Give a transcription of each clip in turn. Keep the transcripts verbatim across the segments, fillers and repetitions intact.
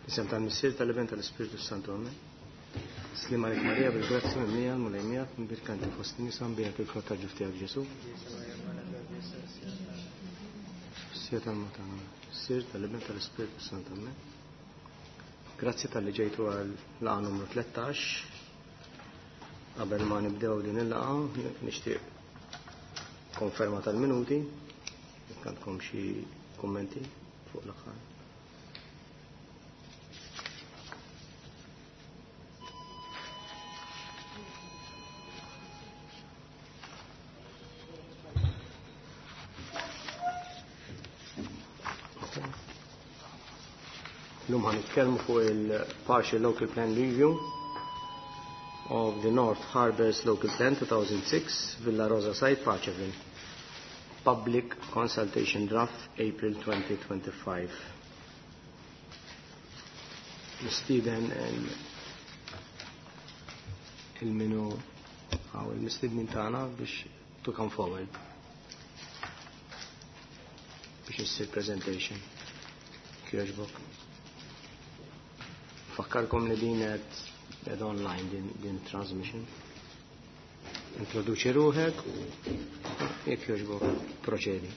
Isem tal-Missier tal-Iben tal-Ispirtu Santu Amen. Sliem għalik Marija bil-grazzja mimlija l-Mulej miegħek imbierka inti fost in-nisa mbierek il-frott tal-ġuf tiegħek Ġesu. Missier tal-Matana, Missier tal-Iben tal-Ispirtu Santu Amen. Grazzi talli ġejtu għal laqgħa numru tlettax. Qabel ma nibdew din il-laqgħa nixtieq konferma tal-minuti. Jekk għandkom xi kummenti fuq l-aħħar. Illum ħa nitkellmu fuq il-Partial Local Plan Review of the North Harbours Local Plan two thousand six, Villa Rosa Site, Paceville. Public Consultation Draft, April twenty twenty-five. Mistieden il-minu għaw il-mistednin tagħna biex to come forward biex issir presentation. Kjoġbok. Fakkarkom li din qed qed online din, din transmission. Introduċi ruħek u jekk jogħġbok proċedi.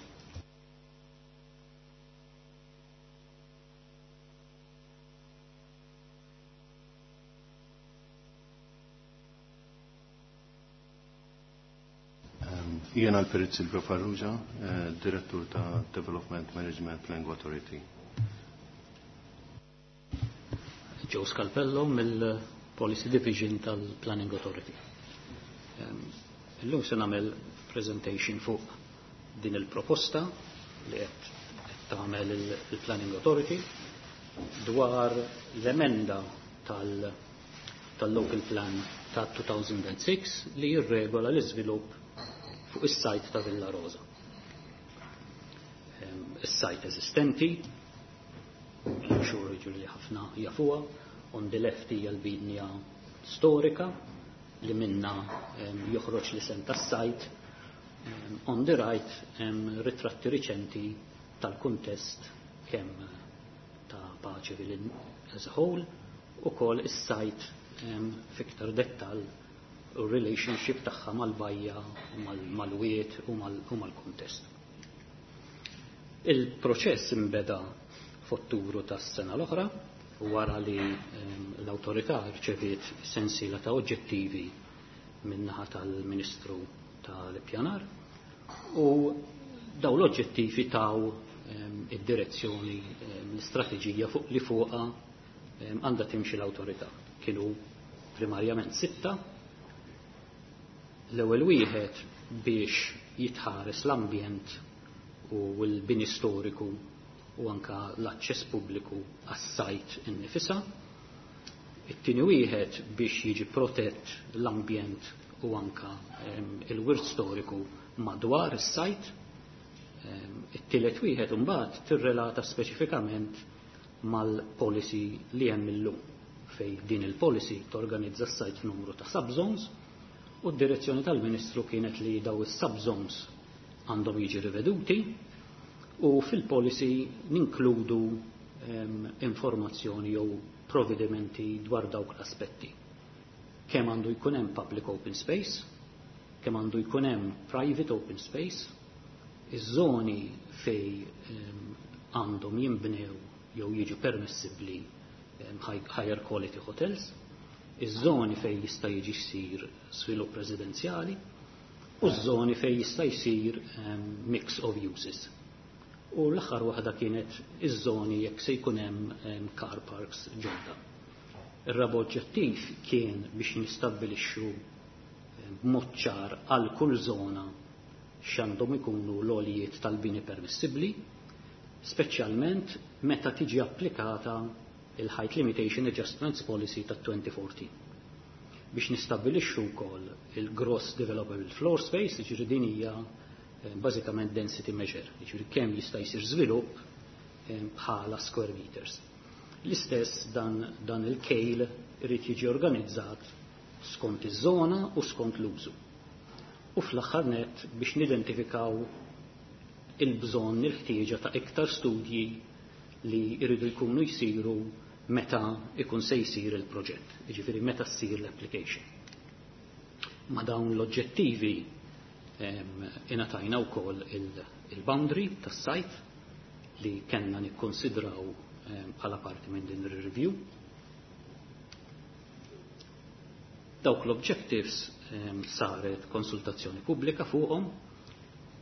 Jiena l-Perit Silvio Farrugia, eh, Direttur ta' Development Management Planning Authority. Joe Scalpello mill-Policy Division tal-Planning Authority. Illum se nagħmel presentation fuq din il-proposta li qed tagħmel il-Planning Authority dwar l-emenda tal-, tal-Local Plan ta' two thousand six li jirregola l-iżvilupp fuq is-sajt ta' Villa Rosa. Is-sajt eżistenti, I'm sure jiġu li ħafna jafuha, on the left hija l-binja storika li minna, em, joħroġ l-isem tas-sajt, em, on the right hemm ritratti riċenti tal-kuntest kemm ta' Paceville as a whole u kol is-sajt, em, fiktar dettal u relationship tagħha mal-bajja, mal-wiet u mal-kuntest. Il-proċess imbeda f'Ottubru tas-sena l-oħra wara li, em, l-awtorità rċeviet sensiela ta' oġġettivi min-naħa tal-Ministru tal-Ippjanar u daw l-oġġettivi taw, em, id-direzzjoni, em, l-istrateġija fuq li fuqha, em, għandha timxi l-awtorità. Kienu primarjament sitta. L-ewwel wieħed biex jitħares l-ambjent u l-bini storiku u anka l-aċċess pubbliku għas-sajt innifisha. It-tieni wieħed biex jiġi protett l-ambjent u anka, em, il-wirt storiku madwar is-sajt. Em, it-tielet wieħed imbagħad tirrelata speċifikament mal-policy li hemm illum fej din il-policy torganizza s-sajt f'numru ta' subzones u d-direzzjoni tal-Ministru kienet li daw is-subzones għandhom jiġi riveduti u fil-policy ninkludu, em, informazzjoni jew provvedimenti dwar dawk l-aspetti. Kemm għandu jkun hemm public open space, kemm għandu jkun hemm private open space, iż-żoni fej, em, għandhom jinbnew jew jiġu permessibbli, em, high, higher quality hotels, iż-żoni fej jista' jiġi jsir svilupp residenzjali u ż-żoni fej jista' jsir, em, mix of uses. U l-aħħar waħda kienet iż-żoni jekk se jkun hemm, em, car parks ġodda. Ir-raba' oġġettiv kien biex nistabbilixxu, em, b'mod ċar għal kull żona x'għandhom ikunu l-għolijiet tal-bini permissibbli, speċjalment meta tiġi applikata il-Height Limitation Adjustments Policy ta' twenty fourteen. Biex nistabbilixxu wkoll il-gross developable floor space, jiġifieri din hija, eh, bażikament density measure, jiġifieri kemm jista' jsir żvilupp, eh, bħala square meters. L-istess dan, dan il-kejl irid jiġi organizzat skont iż-żona u skont l-użu. U fl-aħħar nett biex nidentifikaw il-bżonn, il-ħtieġa ta' iktar studji li jridu jkunu jsiru meta ikun se jsir il-proġett, jiġifieri meta ssir l-application. Ma dawn l-oġġettivi ingħatajna wkoll il-boundary tas-site li kellna nikkonsidraw bħala parti minn din ir-review. Dawk l-objectives saret konsultazzjoni pubblika fuqhom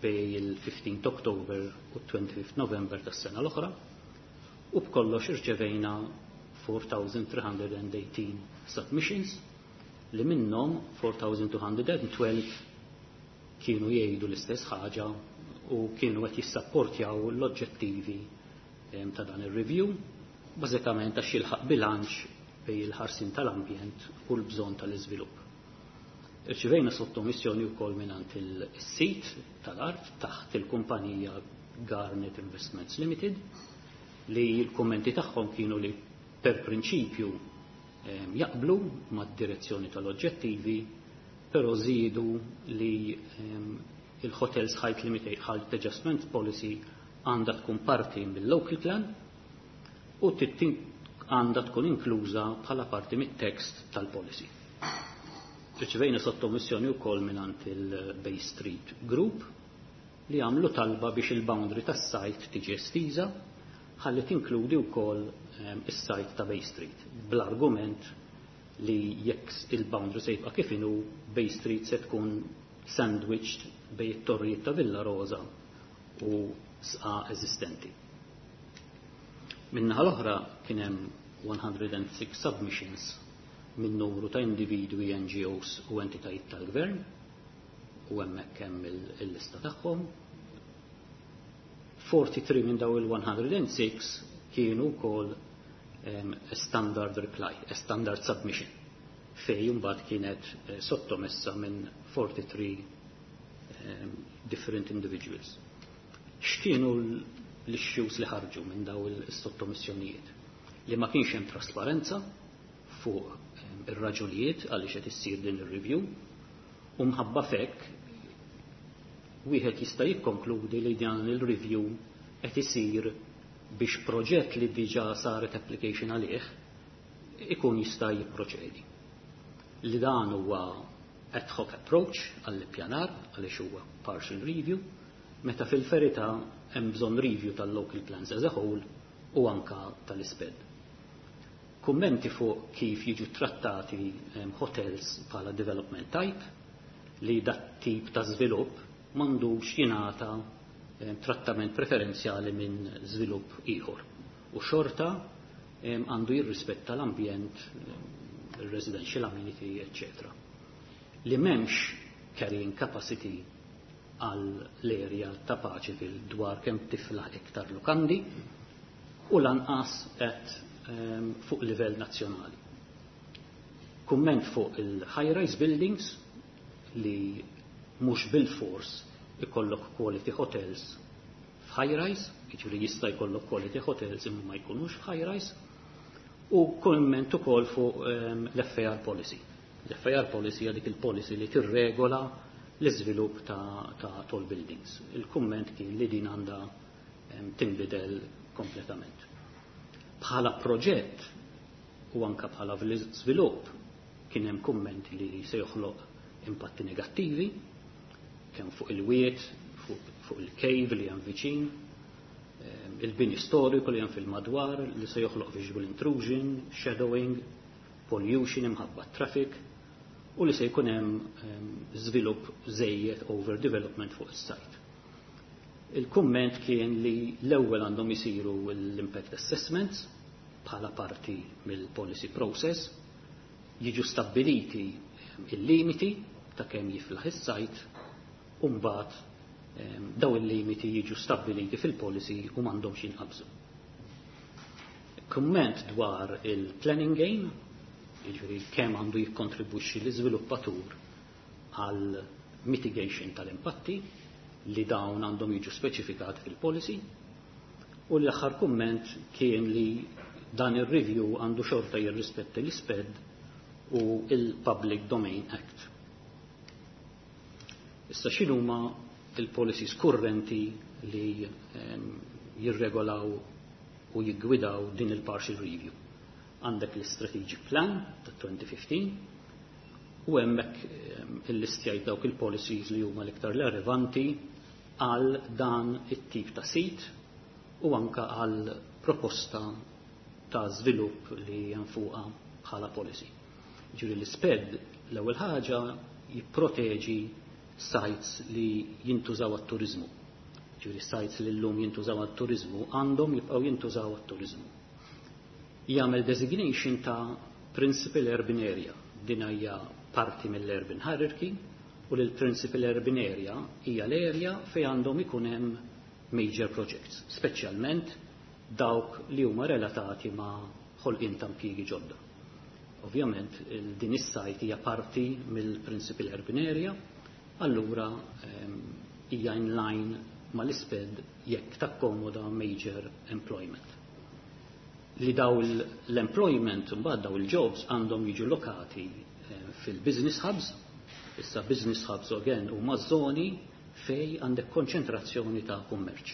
bej il-fifteenth October u twenty-fifth November tas-sena l-oħra u b'kollox irċevejna four thousand three hundred and eighteen submissions li minnhom four thousand two hundred and twelve kienu jgħidu l-istess ħaġa u kienu qed jissapportjaw l-oġġettivi ta' dan ir-review, bażikament għax jilħaq bilanċ bejn il-ħarsin tal-ambjent u l-bżonn tal-iżvilupp. Irċivejna sottomissjoni wkoll mingħand il-sit tal-art taħt il-kumpanija Garnet Investments Limited li l-kummenti tagħhom kienu li per prinċipju jaqblu mad-direzzjoni tal-oġġettivi, però żiedu li il-Hotels Height Limit Height Adjustment Policy għandha tkun parti mill-local plan u għandha tkun inkluża bħala parti mit-tekst tal-policy. Riċevejna sottomissjoni wkoll mingħand il-Bay Street Group li għamlu talba biex il-boundary tas-sajt tiġi estiża ħalli tinkludi wkoll is-sajt ta' Bay Street bl-argument li jekk il-boundary se jibqa' kif inhu Bay Street se tkun sandwiched bejn it-torrijiet ta' Villa Rosa u sqa eżistenti. Min-naħa l-oħra kien hemm one hundred and six submissions minn numru ta' individwi, N G Os u entitajiet tal-gvern u hemmhekk hemm il-lista tagħhom. forty-three minn daw il-one hundred and six kienu wkoll a standard reply, a standard submission, fej imbagħad kienet sottomessa minn forty-three different individuals. X'kienu l-issues li ħarġu minn daw il-sottomissjonijiet? Li ma kienx hemm trasparenza fuq ir-raġunijiet għaliex qed issir din ir-review u mħabba fekk wieħed jista' jikkonkludi li dan il-review qed isir biex proġett li diġà saret application għalih ikun jista' jipproċedi. Li dan huwa ad hoc approach għall-ippjanar għaliex huwa partial review, meta fil-verità hemm bżonn review tal-local plans as a whole u anka tal-isped. Kummenti fuq kif jiġu trattati hotels bħala development type li dat tip ta' żvilupp m'għandux jingħata trattament preferenzjali minn żvilupp ieħor. U xorta għandu jirrispetta l-ambjent, il-residential amenity, eccetera. Li m'hemmx carrying capacity għal l-area ta' Paceville dwar kemm tiflaħ iktar lukandi u lanqas qed fuq livell nazzjonali. Kumment fuq il-high-rise buildings li mhux bil-fors ikollok quality hotels f'high-rise, jiġifieri jista' jkollok quality hotels imma ma jkunux f'high-rise, u kumment ukoll fuq l-F A R policy. L-F A R policy hija dik il-policy li tirregola l-iżvilupp ta', ta' tall buildings. Il-kumment kien li din għandha tinbidel kompletament. Bħala proġett u anka bħala żvilupp kien hemm kumment li se joħloq impatti negattivi, kemm fuq il-wiet, fuq, fuq il-cave li hemm viċin, il-bini storiku li hemm fil-madwar li se joħloq visual intrusion, shadowing, pollution imħabba traffic, u li se jkun hemm żvilupp żejjed overdevelopment fuq is-site. Il-kumment kien li l-ewwel għandhom isiru l-impact assessments bħala parti mill-policy process, jiġu stabbiliti il-limiti ta' kemm jiflaħ is-sajt, u mbagħad daw il-limiti jiġu stabbiliti fil-policy u m'għandhomx jinqabżu. Kumment dwar il-planning game, jiġifieri kemm għandu jikkontribwixxi l-iżviluppatur għal mitigation tal-impatti li dawn għandhom jiġu speċifikati fil-policy, u l-aħħar kumment kien li dan ir-review għandu xorta jirrispetta l-isped u il-Public Domain Act. Issa x'inhuma il-policies kurrenti li, ehm, jirregolaw u jiggwidaw din il-partial review. Għandek l-Strategic Plan ta' twenty fifteen u hemmhekk illistjajt dawk il-policies li huma l-iktar relevanti għal dan it-tip ta' sit u anka għal proposta ta' żvilupp li hemm fuqha bħala policy. Ġifieri l-SPED l-ewwel ħaġa jipproteġi sites li jintużaw għat-turizmu. Ġifieri sites li llum jintużaw għat-turizmu għandhom jibqgħu jintużaw għat-turizmu. Jagħmel designation ta' principal urban area. Din hija parti mill-urban hierarchy u l-principal urban area hija l-area fejn għandhom ikun hemm major projects, speċjalment dawk li huma relatati ma' ħolqien ta' impjiegi ġodda. Ovvjament, din is-site hija parti mill-principal urban area, allura hija in line mal-SPED jekk takkomoda major employment. Li daw l-employment mbagħad, daw il-jobs, għandhom jiġu lokati fil-business hubs. Issa business hubs again huma żoni fej għandek konċentrazzjoni ta' kummerċ.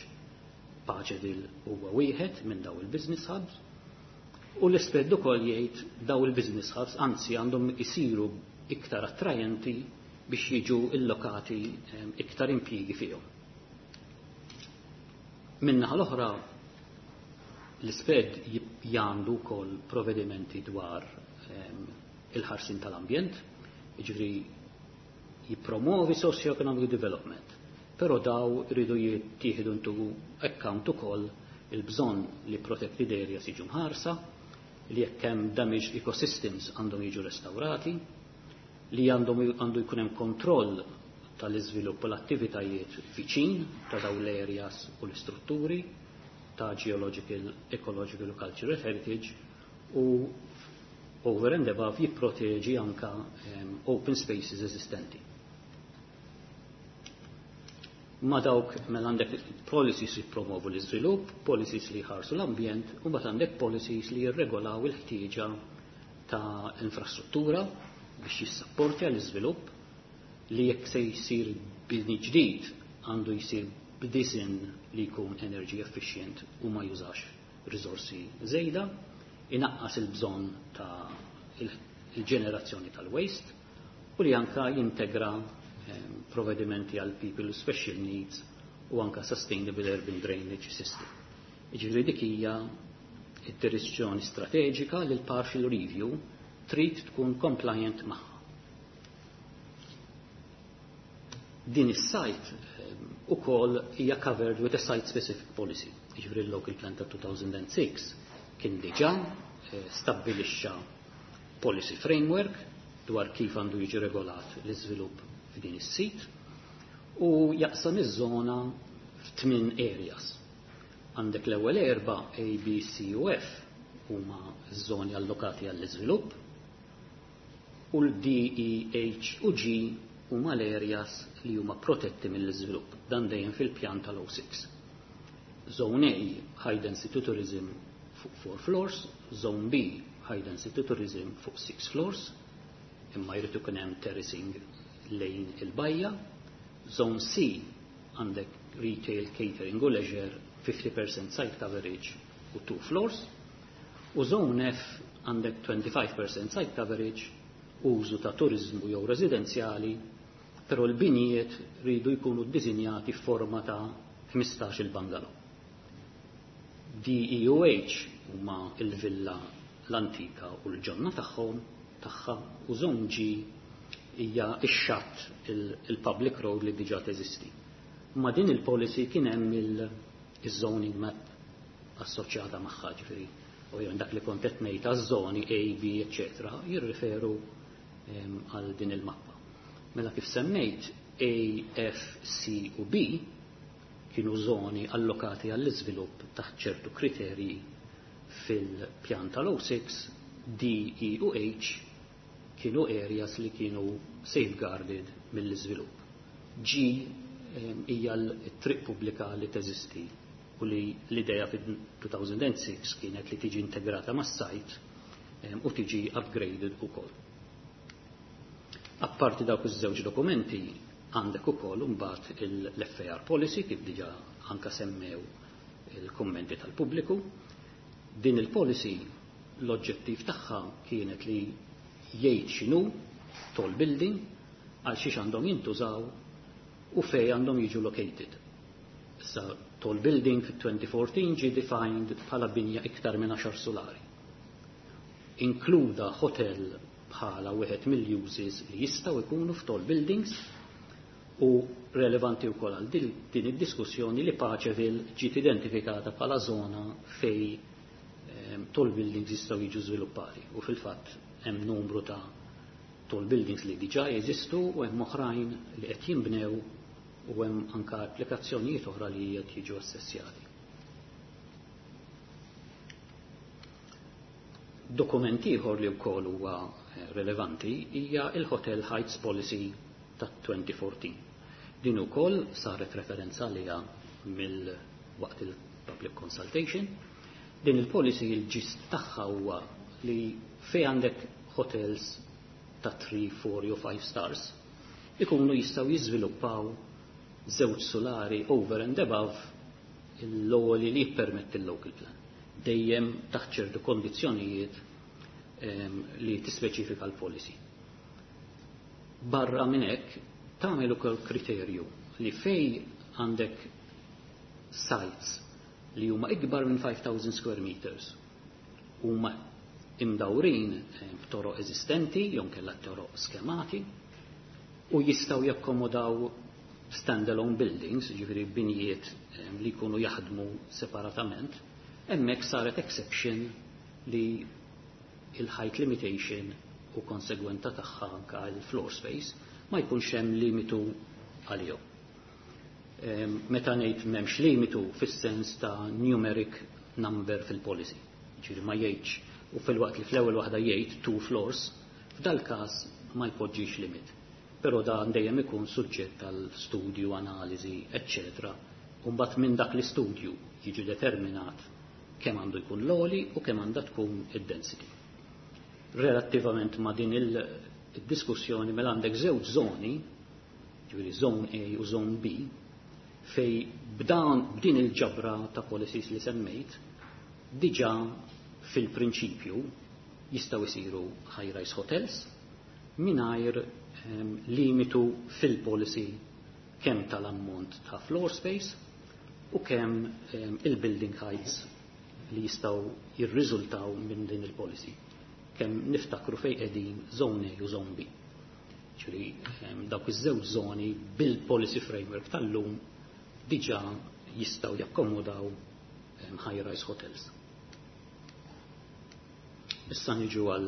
Paceville huwa wieħed minn daw il-business hubs u l-SPED ukoll jgħid daw il-business hubs anzi għandhom isiru iktar attrajenti biex jiġu illokati iktar impjiegi fihom. Min-naħa l-oħra, l-SPED għandu wkoll provvedimenti dwar il-ħarsin tal-ambjent, jiġifieri jippromovi socio-economic development, però daw iridu jittieħdu into account ukoll il-bżonn li protected areas jiġu mħarsa, li jekk hemm damaged ecosystems għandhom jiġu restaurati, li għandhom għandu jkun hemm kontroll tal-iżvilupp u l-attivitajiet viċin ta' dawn l-areas u l-istrutturi ta' geological, ecological u cultural heritage u over and above jipproteġi anka um, open spaces eżistenti. Ma dawk mela għandek policies li promovu l-iżvilupp, policies li jħarsu l-ambjent, u mbagħad għandek policies li jirregolaw il-ħtieġa ta' infrastruttura biex jissapporti għall-iżvilupp, li jekk se jsir bini ġdid għandu jsir b'design li jkun energy efficient u ma jużax risorsi żejda, inaqqas il-bżonn ta' il-ġenerazzjoni tal-waste u li anka jintegra provvedimenti għal people with special needs u anka sustainable urban drainage system. Jiġifieri dik hija id-direzzjoni strateġika li l-partial review trid tkun compliant magħha. Din is-site ukoll hija covered with a site specific policy. Jiġifieri l-local plan ta' two thousand and six kien diġà eh, stabbilixxa policy framework dwar kif għandu jiġi regolat l-iżvilupp f'din is-sit u jaqsam iż-żona f'tmien areas. Għandek l-ewwel erba, A, B, C u F, huma ż-żoni allokati għall-iżvilupp u l-D, E, H u G huma l-areas li huma protetti mill-iżvilupp. Dan dejjem fil-pjan tal-oh six. Zone A, high density tourism fuq four floors, Zone B, high density tourism fuq six floors, imma jrid ikun hemm terracing lejn il-bajja. Zone C għandek retail, catering u leisure, fifty percent site coverage u two floors. U Zone F għandek twenty-five percent site coverage, użu ta' turizmu jew residenzjali, però l-binijiet ridu jkunu ddisinjati f'forma ta' ħmistax il-bungalow. D, E u H huma il-villa l-antika u l-ġonna tagħhom tagħha u Zone G hija ix-xatt, il-public road li diġà teżisti. Ma din il-policy kien hemm il-zoning map assoċjata magħha, ġifieri u dak li kont qed ngħid għaż-żoni A, B, eċċetera, jirriferu għal din il-mappa. Mela kif semmejt, A, F, C u B kienu żoni allokati għall-iżvilupp taħt ċertu kriterji fil-pjan tal-oh six, D, E u H kienu areas li kienu safeguarded mill-iżvilupp. G hija l-triq pubblika li teżisti u li l-idea fil-two thousand and six kienet li tiġi integrata mas-site u tiġi upgraded ukoll. Apparti dawk iż-żewġ dokumenti, għandek ukoll imbagħad l-F A R policy, kif diġà anka semmew il-kummenti tal-pubbliku. Din il-policy l-oġġettiv tagħha kienet li jgħid x'inhu tall building, għal xiex għandhom jintużaw u fej għandhom jiġu located. Issa tall building fit-twenty fourteen ġie defined bħala binja iktar minn għaxar solari. Inkluda hotel bħala wieħed mill-uses li jistgħu jkunu f'tall buildings u relevanti wkoll għal din id-diskussjoni li Paceville ġiet identifikata bħala żona fej ehm, tall buildings jistgħu jiġu żviluppati u fil-fatt hemm numru ta' tall buildings li diġà jeżistu u hemm oħrajn li qed jinbnew u hemm anka applikazzjonijiet oħra li qed jiġu assessjati. Dokument ieħor li wkoll huwa eh, relevanti hija il-Hotel Heights Policy ta' twenty fourteen. Din ukoll saret referenza għaliha mill waqt il-public consultation. Din il-policy il-gist tagħha huwa li fej għandek hotels ta' three, four jew five stars ikunu jistgħu jiżviluppaw żewġ solari over and above l-ewwel li jippermetti l-local plan. Dejjem taħt ċertu kondizzjonijiet ehm, li tispeċifika l-policy. Barra minn hekk tagħmel ukoll kriterju li fej għandek sites li huma ikbar minn five thousand square meters huma imdawrin eh, b'toroq eżistenti jew kellha toroq skemati u jistgħu jakkomodaw standalone buildings, ġifieri binjiet eh, li jkunu jaħdmu separatament, hemmhekk saret exception li il-height limitation u konsegwenza tagħha anka il-floor space ma jkunx hemm limitu għalihom. Meta ngħid m'hemmx limitu fis-sens ta' numeric number fil-policy. Ġifieri ma jgħidx u fil-waqt li fl-ewwel waħda jgħid two floors, f'dal każ ma jpoġġix limit. Però dan dejjem ikun suġġett tal studju, analiżi, eċċetera. U mbagħad minn dak l-istudju jiġi determinat kemm għandu jkun l-għoli u kemm għandha tkun id-density. Relattivament ma' din il-diskussjoni mela għandek żewġ żoni, ġifieri zone A u zone B, fej b'dan b'din il-ġabra ta' policies li semmejt, diġà fil-prinċipju jistgħu jsiru high-rise hotels mingħajr um, limitu fil-policy kemm tal-ammont ta' floor space u kemm um, il-building heights li jistgħu jirriżultaw minn din il-policy. Kemm niftakru fej qegħdin zone A u zone B. Ġifieri um, dawk iż-żewġ żoni bil-policy framework tal-lum diġà jistgħu jakkomodaw um, high-rise hotels. Issa niġu għal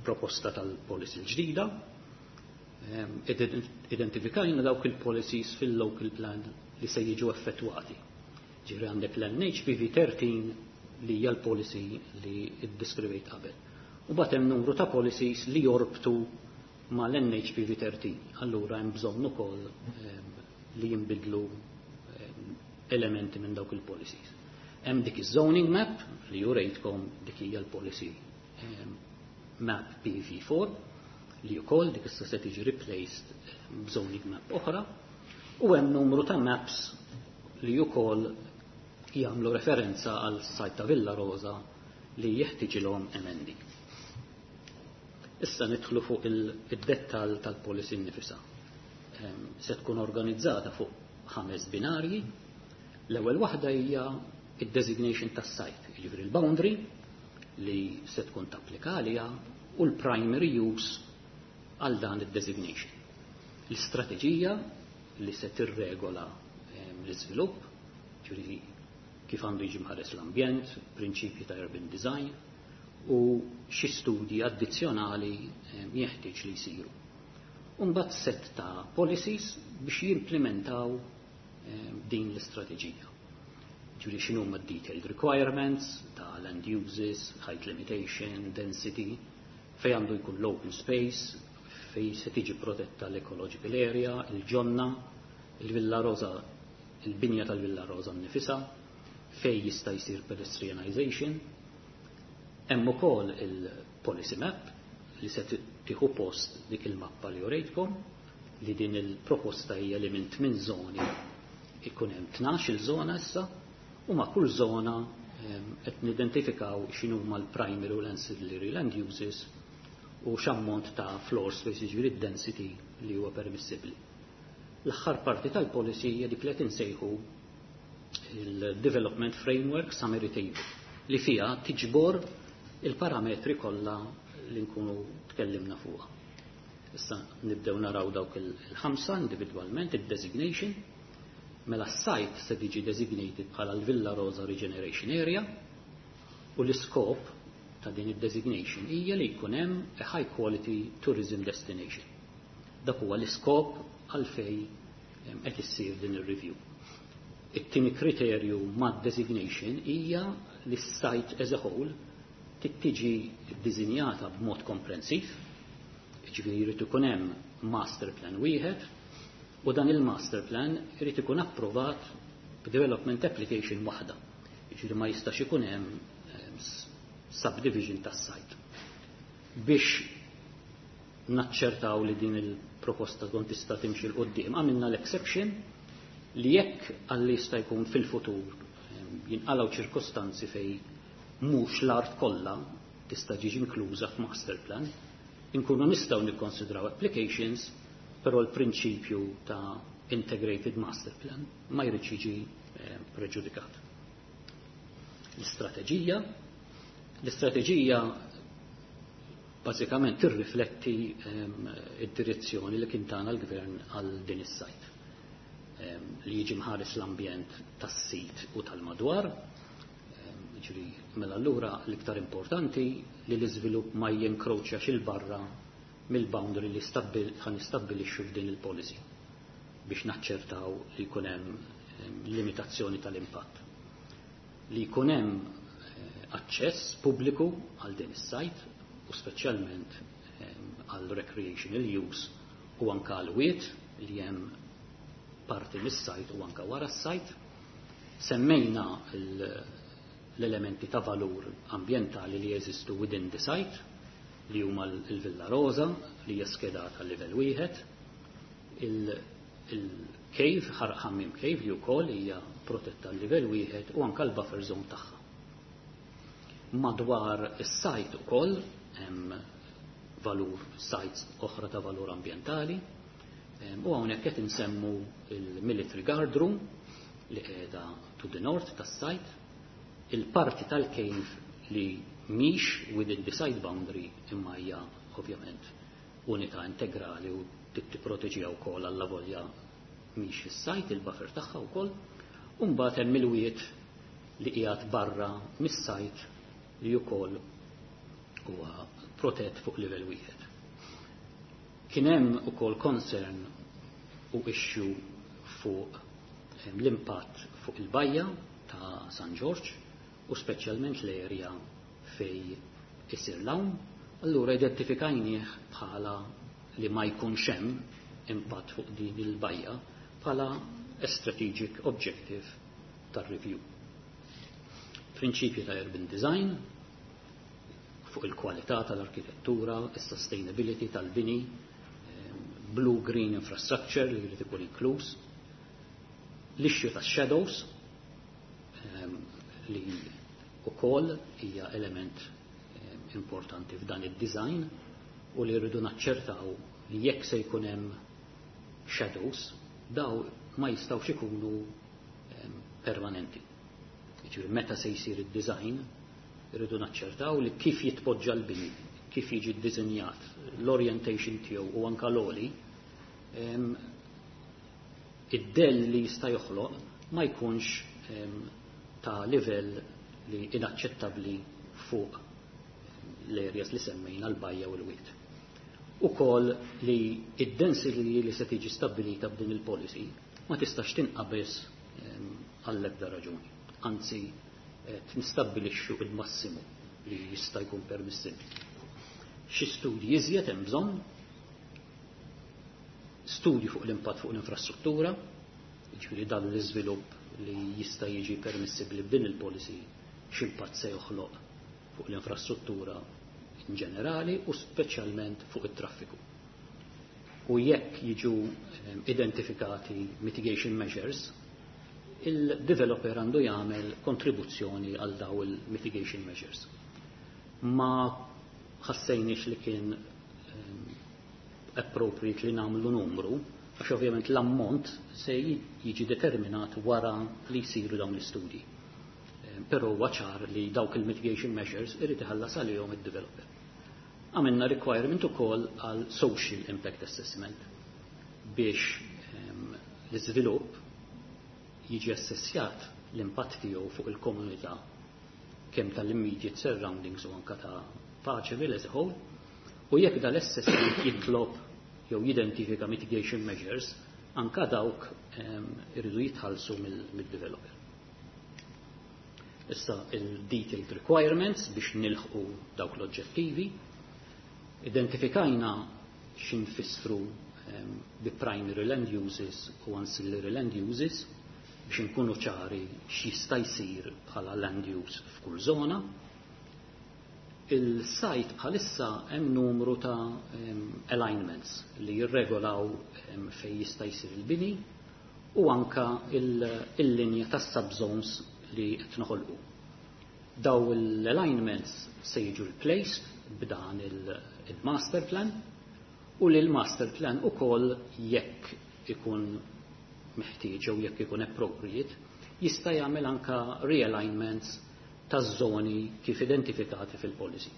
proposta tal-policy l-ġdida. Identifikajna dawk il-policies fil-local plan li se jiġu effettwati. Ġifieri għandek l-N H P V thirteen li hija l-policy li iddeskrivejt qabel. U mbagħad hemm numru ta' policies li jorbtu mal-N H P V thirteen. Allura hemm bżonn ukoll li jinbidlu elementi minn dawk il-policies. Hemm dik iż-zoning map li jurejtkom, dik hija l-policy map P V four li wkoll dik issa se tiġi replaced b'zoning map oħra u hemm numru ta' maps li wkoll jagħmlu referenza għal site ta' Villa Rosa li jeħtieġilhom emendi. Issa nidħlu fuq il-dettal tal-policy nnifisha. Se tkun organizzata fuq ħames binarji. L-ewwel waħda hija id-designation tas-site, jiġifieri l-boundary li se tkun tapplika għaliha u l-primary use għal dan id-designation. L-istrateġija li se tirregola l-iżvilupp, ġifieri kif għandu jiġi mħares l-ambjent, prinċipji ta' urban design u xi studji addizzjonali jeħtieġ li jsiru. Mbagħad set ta' policies biex jimplementaw din l-istrateġija. Ġifieri x'inhuma detailed requirements ta' land uses, height limitation, density, fej għandu jkun l-open space, fej se tiġi protetta l-ecological area, il-ġonna, il-Villa Rosa, il-binja tal-Villa Rosa nnifisha, fej jista' jsir pedestrianization. Hemm ukoll il-policy map li se tieħu post dik il-mappa li urejtkom, li din il-proposta hija li minn tmien żoni ikun hemm tnax il żona issa u ma' kull żona Qed nidentifikaw x'inhuma l-primary u l-ancillary land uses u x'ammont ta' floor space, jiġifieri density li huwa permissibbli. L-aħħar parti tal-policy hija dik li qed insejħu il-Development Framework Summary Table, li fiha tiġbor il-parametri kollha li nkunu tkellimna fuqha. Issa nibdew naraw dawk il-ħamsa individwalment. Id-designation: mela s-site se tiġi designated bħala l-Villa Rosa Regeneration Area u l-iskop ta' din id-designation hija li jkun hemm a high quality tourism destination. Dak huwa l-iskop għalfej qed issir din ir-review. It-tieni kriterju mad-designation hija li s-site as a whole tiġi ddisinjata b'mod komprensiv, jiġifieri jrid ikun hemm master plan wieħed u dan il-master plan irid ikun approvat b'development application waħda. Jiġifieri ma jistax ikun hemm subdivision tas-site. Biex naċċertaw li din il-proposta tkun tista' timxi 'l quddiem, għamilna l-exception li jekk għalli jista' jkun fil-futur jinqalgħu ċirkostanzi fej mhux l-art kollha tista' tiġi inkluża f'master plan, inkunu nistgħu nikkonsidraw applications, però l-prinċipju ta' integrated master plan ma jridx jiġi eh, preġudikat. L-istrateġija l-istrateġija bażikament tirrifletti ehm, id-direzzjoni li kien tana l-gvern għal din is-site. Ehm, li jiġi mħares l-ambjent tas-sit u tal-madwar, ehm, ġifieri mela allura l-iktar importanti li l-iżvilupp ma jinkroċjax 'il barra mill-boundary li ħa nistabbilixxu f'din il-policy biex naċċertaw li jkun hemm limitazzjoni tal-impatt. Li jkun hemm eh, aċċess pubbliku għal din is-site u speċjalment għal recreational use u anka għal wiet li hemm parti mis-site u anka wara s-site. Semmejna l-elementi ta' valur ambientali li jeżistu within the site, li huma l-Villa Rosa li hija skedata livell wieħed, il-cave, Ħarq Ħammiem Cave, li wkoll hija protetta l-livell wieħed, u anka l-buffer zone tagħha. Madwar is-site ukoll hemm valur sites oħra ta' valur ambientali u hawnhekk qed insemmu il-Military Guard Room li qiegħda to the north tas-site, il-parti tal-cave li mhix within the site boundary imma hija ovvjament unità integrali u tipproteġiha wkoll allavolja mhix fis-site, il-buffer tagħha wkoll, u mbagħad hemm il-wiet li qiegħed barra mis-site li wkoll huwa protett fuq livell wieħed. Kien hemm ukoll concern u issue fuq l-impatt fuq il-bajja ta' San Ġorġ u speċjalment l-area fej isir l-għawm, allura identifikajnieh bħala li ma jkunx hemm impatt fuq din il-bajja bħala a strategic objective tar-review. Prinċipji ta' urban design fuq il-kwalità tal-arkitettura, is-sustainability tal-bini, blue green infrastructure li jrid ikun inkluż, l-issue ta' shadows li ukoll hija element importanti f'dan id-design u li rridu naċċertaw li jekk se jkun hemm shadows, daw ma jistgħux ikunu permanenti. Jiġifieri meta se jsir id-design, irridu naċċertaw li kif jitpoġġa l-bini, kif jiġi ddisinjat, l-orientation tiegħu u anka l-oli, id-dell li jista' joħloq ma jkunx ta' livell li inaċċettabbli fuq l-areas li semmejna, l-bajja u l-wiet. Ukoll li id-density li se tiġi stabilita b'din il-policy ma tistax tinqabeż għall-ebda raġuni. Anzi, nistabbilixxu il-massimu li jista' jkun permissibbli. Xi studji iżjed hemm bżonn: studji fuq l-impatt fuq l-infrastruttura, jiġifieri dan l-iżvilupp li jista' jiġi permissibbli b'din il-policy x'impatt se joħloq fuq l-infrastruttura in ġenerali u speċjalment fuq it-traffiku. U jekk jiġu identifikati mitigation measures, Il-developer għandu jagħmel kontribuzzjoni għal daw il-mitigation measures. Ma ħassejniex li kien um, appropriate li nagħmlu numru, għax ovvjament l-ammont se jiġi determinat wara li jsiru dawn l-istudji. Però huwa ċar li dawk il-mitigation measures irid iħallas għalihom id-developer. Għamilna requirement ukoll għal social impact assessment biex um, l-iżvilupp jiġi assessjat l-impatt tiegħu fuq il-komunità, kemm tal-immediate surroundings u anka ta' Paceville as a whole, u jekk dal-assessment jitlob jew jidentifika mitigation measures, anka dawk um, irridu jitħallsu mill-developer. Issa il-detailed requirements biex nilħqu dawk l-oġġettivi. Identifikajna x'infissru um, bi primary land uses u ancillary land uses biex inkunu ċari x'jista' jsir bħala land use f'kull żona. Il-site bħalissa hemm numru ta' um, alignments li jirregolaw um, fejn jista' jsir il-bini u anka il-linja tas subzones li qed noħolqu. Daw l-alignments se jiġu replaced b'dan il-master plan u li l-master plan ukoll, jekk ikun meħtieġ jew jekk ikun appropriate, jista' jagħmel anka realignments taż-żoni kif identifikati fil-policy.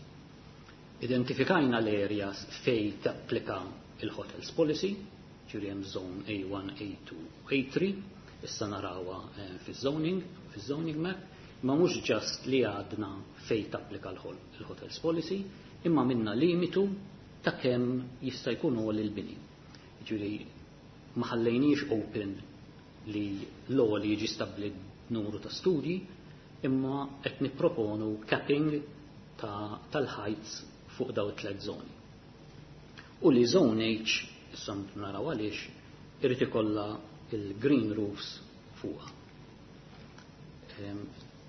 Identifikajna l-areas fej tapplika il-hotels policy, ġifieri hemm zone A one, A two, A three, issa narawha eh, fiż-zoning, fiż-zoning map, ma mhux just li għadna fej tapplika l-hotels policy, imma għamilna limitu ta' kemm jista' jkun għoli l-bini. Ġifieri ma ħallejniex open li l-għoli jiġi stabbilit numru ta' studji, imma qed nipproponu capping tal-heights fuq daw it-tliet zoni. U li zone H, issa naraw għaliex, irid ikollha il-green roofs fuqha.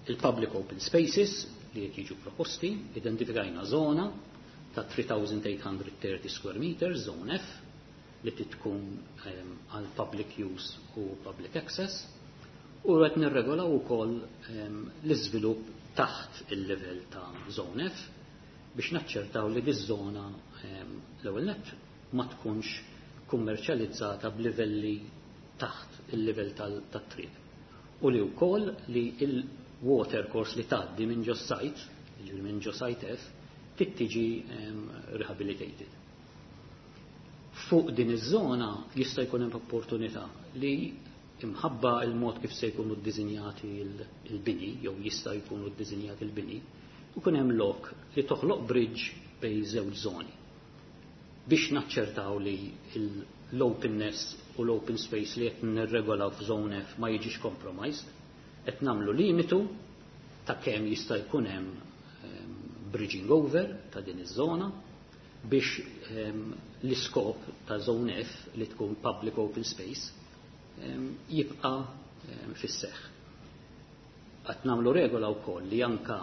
Il-public open spaces li qed jiġu proposti, identifikajna zona ta' tliet elef u tmien mija u tletin square meters, zone F, li tkun għal public use u public access, u qed nirregolaw ukoll l-iżvilupp taħt il-level ta' zone F biex naċċertaw li diż-żona l-ewwel nett ma tkunx kummerċjalizzata b'livelli taħt il-livell tat-triq. U li wkoll li il-water course li tgħaddi minn ġo site, jiġifieri minn ġo site F, tiġi rehabilitated. Fuq din iż-żona jista' jkun hemm opportunità li imħabba il-mod kif se jkunu ddisinjati il-bini, jew jista' jkunu ddisinjati il-bini, ikun hemm lok li toħloq bridge bejn żewġ żoni biex naċċertaw li l-openness u l-open space li qed nirregolaw f'zone F ma jiġix compromised, qed nagħmlu limitu ta' kemm jista' jkun hemm bridging over ta' din iż-żona biex l-iskop ta' zone F li tkun public open space jibqa' fis-seħħ. Qed nagħmlu regola wkoll li anka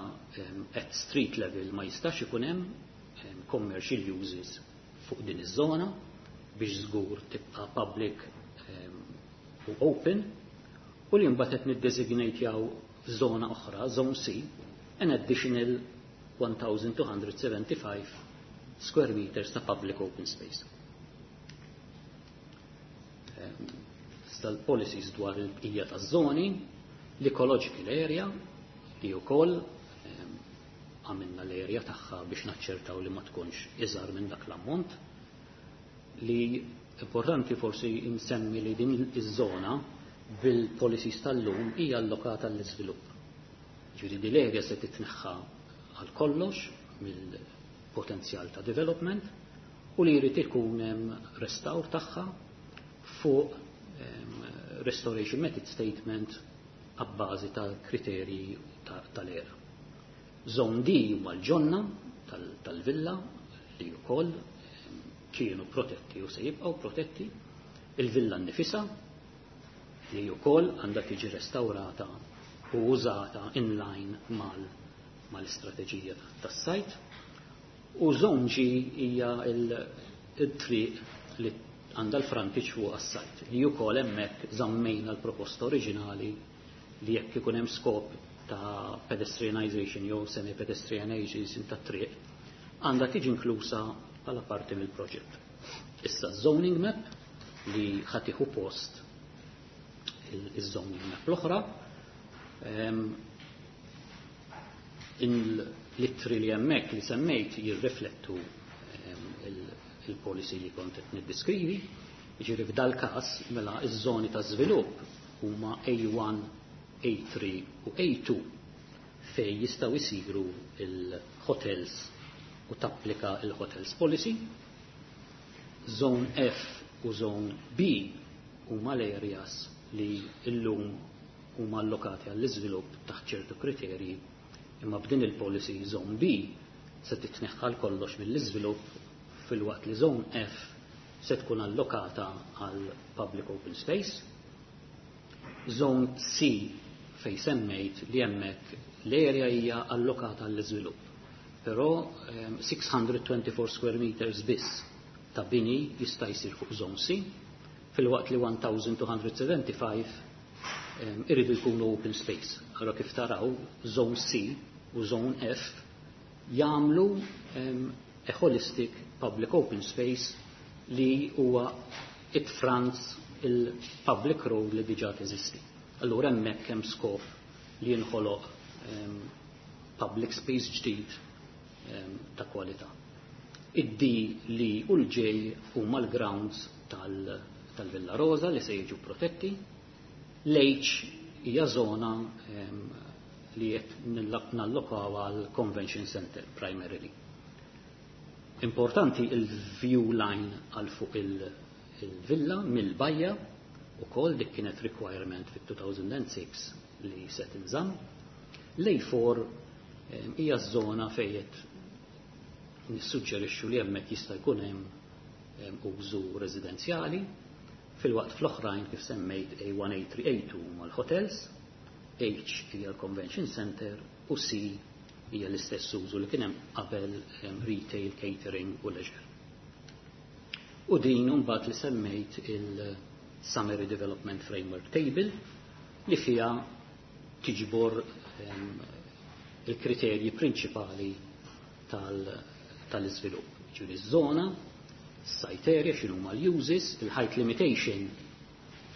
at street level ma jistax ikun hemm commercial uses fuq din iż-żona biex żgur tibqa' public u open, u li mbagħad qed niddesignatejaw żona oħra, zone C, an additional one thousand two hundred seventy-five square meters ta' public open space. Tal-policies dwar il-bqija taż-żoni, l-ecological area li wkoll għamilna l-area tagħha biex naċċertaw li ma tkunx iżgħar minn dak l-ammont. Li importanti forsi insemmi li din iż-żona bil-policies tal-lum hija allokata l-iżvilupp. Ġifieri di l-area se titneħħa għal kollox mill-potenzjal ta' development u li jrid ikun hemm restawr tagħha fuq restoration method statement abbażi tal-kriterji tal-ERA. Zone D huma l-ġonna tal-villa li wkoll kienu protetti u se jibqgħu protetti, il-villa nnifisha li wkoll għandha tiġi restaurata u użata in line mal mal-istrateġija tas-sajt. U zone G hija il-triq li għandha l-frontage fuq għas-sajt li wkoll hemmhekk żammejna l-proposta oriġinali. li jekk ikun hemm skop ta' pedestrianization jew semi-pedestrianization ta' triq, għandha tiġi inklusa bħala parti mill-proġett. Issa zoning map li ħa tieħu post il-zoning map l-oħra, l-ittri li hemmhekk li semmejt jirriflettu il-policy li kont qed niddeskrivi. Jiġifieri f'dal każ mela iż-żoni ta' żvilupp huma A one, A three u A two fej jistgħu jsiru il-hotels u tapplika il-hotels policy. Zone F u Zone B huma l-areas li llum huma allokati għall-iżvilupp taħt ċertu kriterji, imma b'din il-policy Zone B se titneħħal kollox mill-iżvilupp, filwaqt li Zone F se tkun allokata għal public open space. Zone C fej semmejt li hemmhekk l-area hija allokata għall-iżvilupp. Però um, six hundred twenty-four square meters biss ta' bini jista' jsir fuq Zone C, filwaqt li one thousand two hundred seventy-five um, iridu jkunu open space. Allora kif taraw, Zone C u Zone F jagħmlu um, a holistic public open space li huwa it fronts il-public road li diġà teżisti. Allura hemmhekk hemm skop li jinħoloq um, public space ġdid um, ta' kwalità. Id-D li u l-J huma l-grounds tal-Villa Rosa li se jiġu protetti. L-H hija zona um, li qed nallokaw għal Convention Center primarily. Importanti il-view line għal fuq il-villa mill-bajja u kol dik kienet requirement fit-two thousand six li se tinżamm. L-A four hija żona fejn nissuġġerixxu li hemmhekk jista' jkun hemm użu residenzjali, filwaqt fl-oħrajn kif semmejt A one, A three, A two mal-hotels, H hija l-Convention Center u C hija l-istess użu li kien hemm qabel, retail, catering u leisure. U din mbagħad li semmejt il-Summary Development Framework Table li fija tiġbor il-kriterji prinċipali tal-iżvilupp. Ġifieri ż-żona, site area, x'inhuma l-uses, il-height limitation,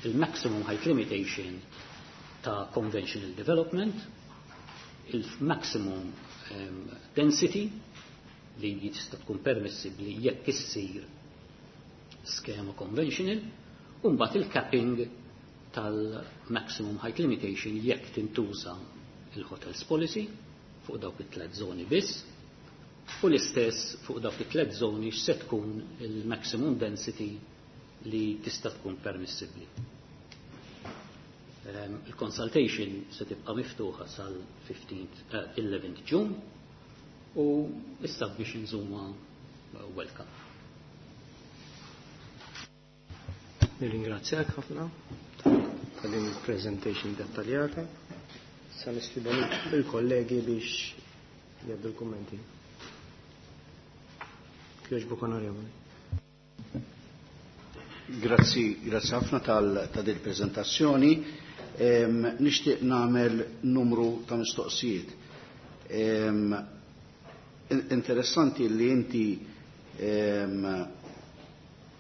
il-maximum height limitation ta' conventional development, il-maximum um, density li jista' tkun permissibbli jekk issir skema conventional, u mbagħad il-capping tal-maximum height limitation jekk tintuża il-hotels policy fuq dawk it-tliet żoni biss, u l-istess fuq dawk it-tliet żoni x'se tkun il-maximum density li tista' tkun permissibbli. Um, il-consultation se tibqa' miftuħa sal-fifteenth, uh, eleventh June u issa biex nżuma welcome. Nirringrazzjak ħafna ta' din il-presentation dettaljata. Sa nistieden il-kollegi biex jgħaddu l-kummenti. Kjoġbuk, onorevoli. Grazzi, grazzi ħafna tal ta' din prezentazzjoni. Nixtieq nagħmel numru ta' mistoqsijiet. Interessanti li inti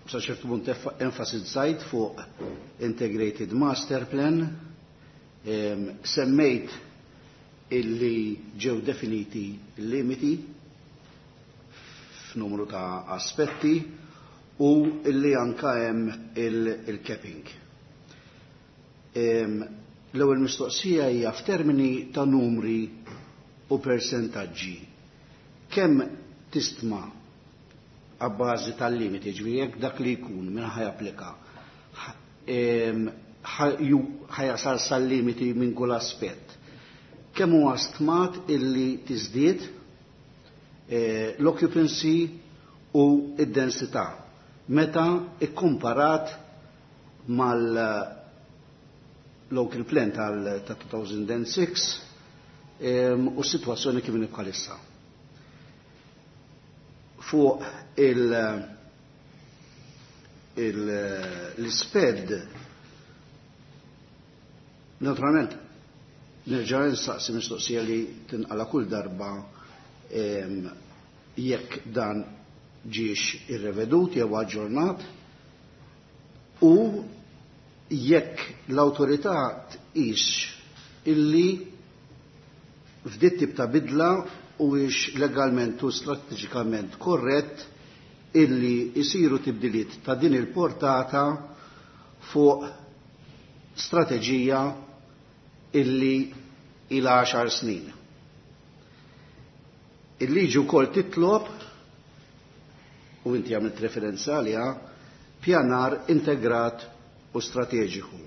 sa ċertu punt enfasizzajt fuq Integrated Master Plan, semmejt illi ġew definiti limiti f'numru ta' aspetti u illi anka hemm il-capping. L-ewwel mistoqsija hija f'termini ta' numri u persentaġġi. Kemm tistma għabbażi tal-limiti, ġifieri jekk dak li jkun minn ħa japplika ħa jasal sal-limiti minn kull aspett? Kemm huwa stmat illi tiżdied eh, l-occupancy u id-densità meta ikkumparat mal local plan tal-two thousand six u s-situazzjoni kif bħalissa? Fuq il- l-isped, naturalment, Nerġa' nsaqsi mistoqsija li tinqala kull darba jekk dan ġiex irrevedut jew aġġornat u jekk l-awtorità tqis illi f'dit tip ta' bidla huwiex legalment u strateġikament korrett illi jsiru tibdiliet ta' din il-portata fuq strateġija illi ila għaxar snin. Il-liġi wkoll titlob, u inti għamilt referenza għaliha, pjanar integrat u strateġiku.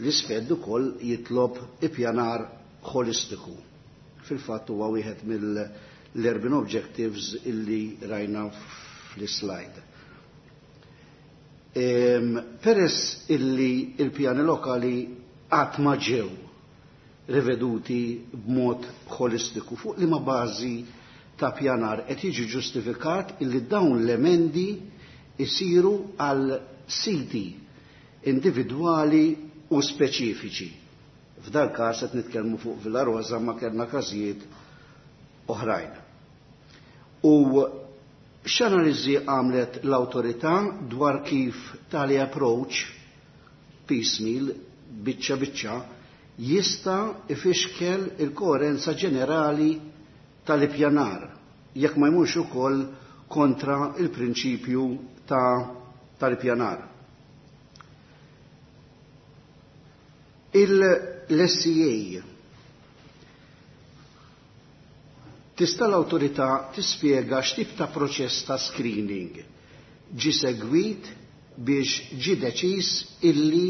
L-isfed ukoll jitlob ippjanar holistiku. Fil-fatt huwa wieħed mill-urban objectives illi rajna fl-slide. Peress illi il-pjani lokali qatt ma ġew riveduti b'mod holistiku fuq liema bażi ta' pjanar qed jiġi ġustifikat illi dawn l-emendi isiru għal siti individwali u speċifiċi. F'dal każ qed nitkellmu fuq Villa Rosa ma kellna każijiet oħrajn. U x'analiżi għamlet l-awtorità dwar kif tali approach piecemeal, biċċa biċċa, jista' ifixkel il-koerenza ġenerali tal-ippjanar jekk ma jmurx ukoll kontra il-prinċipju ta' tal-ippjanar. Il-S C A tista' l-awtorità tispjega x'tip ta' proċess ta' screening ġi segwit biex ġi deċiż illi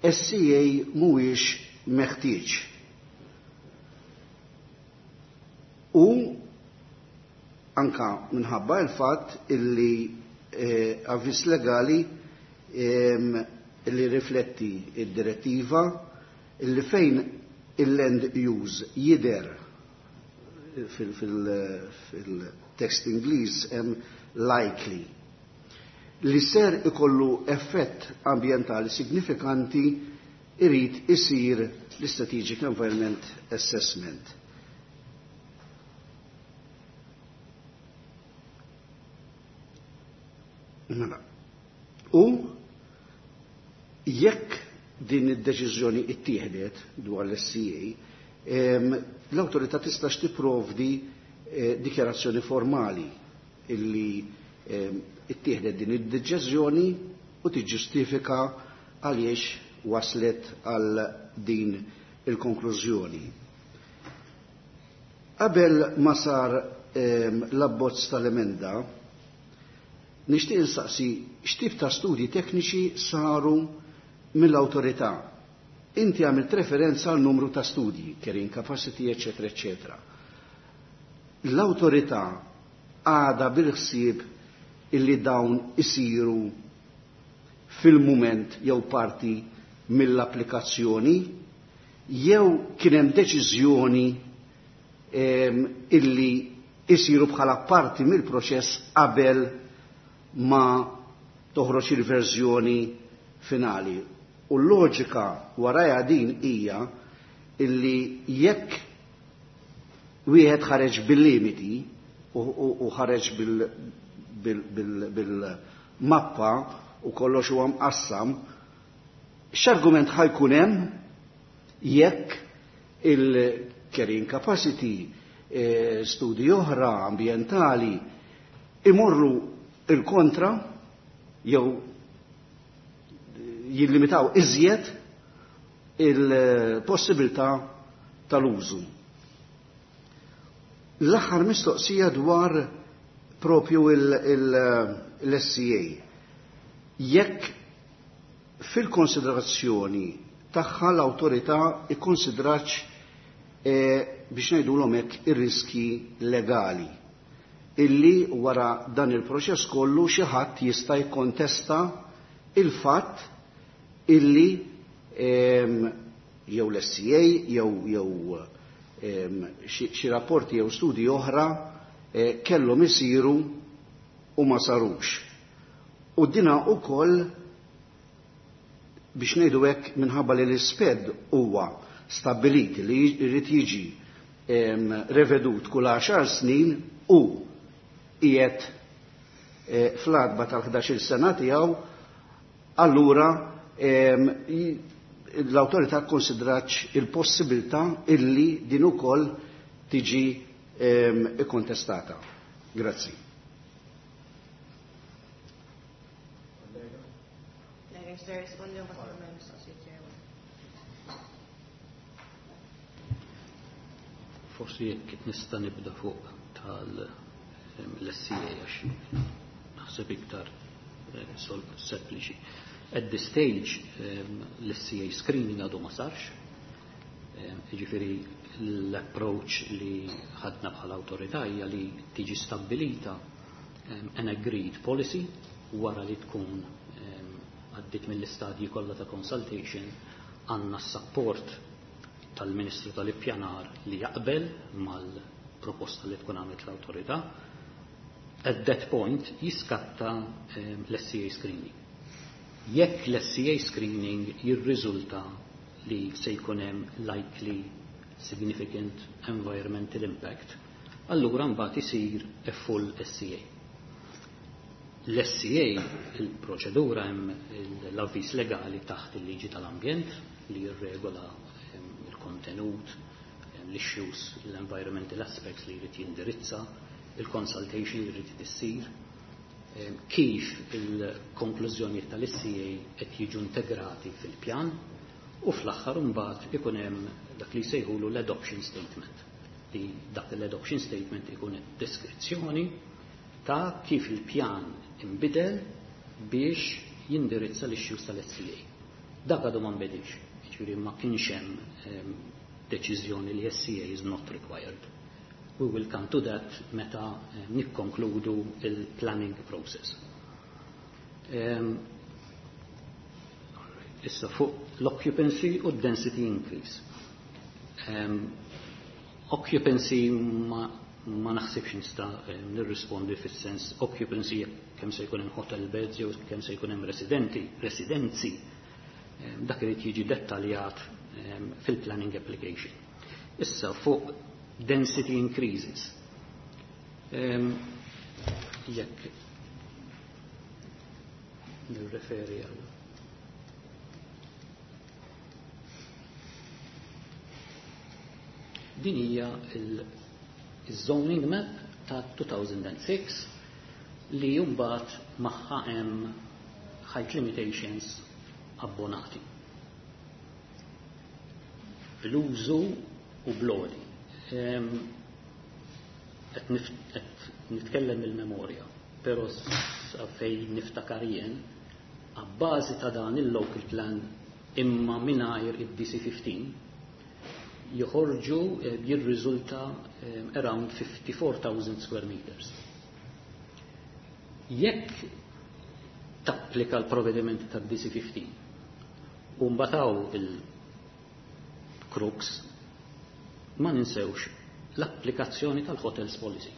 S C A mhuwiex meħtieġ. U anka minħabba il-fatt illi, eh, avviż legali, ehm, illi rifletti id-direttiva illi fejn il-land use jider fil-tekst Ingliż hemm likely li ser ikollu effett ambjentali signifikanti irid isir l-Strategic Environment Assessment. Mela. U jekk din id-deċiżjoni ittieħdet dwar l-S C A, em, l-awtorità tistax tipprovdi, eh, dikjarazzjoni formali illi, em, ittieħdet din id-deċiżjoni u tiġġustifika għaliex waslet għal din il-konklużjoni. Qabel ma sar, em, l-abbozz tal-emenda, nixtieq insaqsi x'tip ta' studji tekniċi saru mill-awtorità. Inti għamilt referenza għal numru ta' studji, carrying capacity, eccetera, eccetera. L-awtorità għadha bil-ħsieb illi dawn isiru fil-mument jew parti mill-applikazzjoni, jew kien hemm deċiżjoni, ehm, illi isiru bħala parti mill-proċess qabel ma toħroġ il-verżjoni finali. U l-loġika warajha din hija illi jekk wieħed ħareġ bil-limiti u, u, u ħareġ bil-, bil, bil, bil-mappa u kollox huwa mqassam, x'argument ħajkun hemm jekk il-carrying capacity, eh, studi oħra ambjentali imorru il-kontra jew jillimitaw iżjed il-possibilità tal-użu. L-aħħar mistoqsija dwar propju il-S C A. Jekk fil-konsiderazzjoni tagħha l-awtorità ikkonsidratx, eh, biex ngħidulhom hekk ir-riski legali illi wara dan il-proċess kollu xi ħadd jista' jikkontesta il-fatt illi, ehm, jew l-S C A jew, jew, ehm, xi, xi rapporti jew studji oħra, eh, kellhom isiru u ma sarux. U dina wkoll biex ngħidu hekk minħabba li l-isped huwa stabbiliti li jrid jiġi revedut kull għaxar snin u qiegħed fl-adba tal-ħdax-il sena tiegħu, allura l-awtorità kkonsidratx il-possibilità illi din ukoll tiġi ikkontestata. Grazzi. Forsi jekk nista' nibda fuq tal-S C A għax naħseb iktar sempliċi. At this stage l-S C A screening għadu ma sarx, jiġifieri l-approach li ħadna bħala awtorità hija li tiġi stabbilita an agreed policy wara li tkun għaddit mill-istadji kollha ta' consultation, għandna s-support tal-Ministru tal-Ippjanar li jaqbel mal-proposta li tkun għamlet l-awtorità. At that point jiskatta l-S C A screening. Jekk l-S C A screening jirriżulta li se jkun hemm likely significant environmental impact, allura mbagħad isir a full S C A. L-S C A, il-proċedura hemm l-avviż legali taħt il-liġi tal-ambjent li jirregola il-kontenut, l-issues, l-environmental aspects li jrid jindirizza, il-consultation li jrid issir, kif il-konklużjonijiet tal-S C A qed jiġu integrati fil-pjan, u fl-aħħar imbagħad ikun hemm dak li jsejħulu l-adoption statement. Li dak l-adoption statement ikun deskrizzjoni ta' kif il-pjan imbidel biex jindirizza l-issues tal-S C A. Dak għadu ma nbidilx, jiġifieri ma kienx hemm deċiżjoni li S C A is not required. We will come to that meta nikkonkludu il-planning process. Um, issa fuq l-occupancy u density increase. Um, occupancy ma, ma naħsibx nista' nirrispondi fis-sens occupancy kemm se jkun hemm hotel beds jew kemm se jkun hemm residenti, residenzi. Um, dak irid jiġi dettaljat um, fil-planning application. Issa fuq density increases. Um, jekk nirreferi għal din hija il-zoning map ta' two thousand and six li mbagħad magħha hemm height limitations abbonati. Bl-użu u bloli. Qed nitkellem il-memorja, però sa fejn niftakar jien, abbażi ta' dan il-local plan imma mingħajr id-D C fifteen joħorġu, eh, jirriżulta, eh, around fifty-four thousand square meters. Jekk tapplika l-provvedimenti tad D C fifteen u mbagħad il-crux, ma ninsewx l-applikazzjoni tal-hotels policy.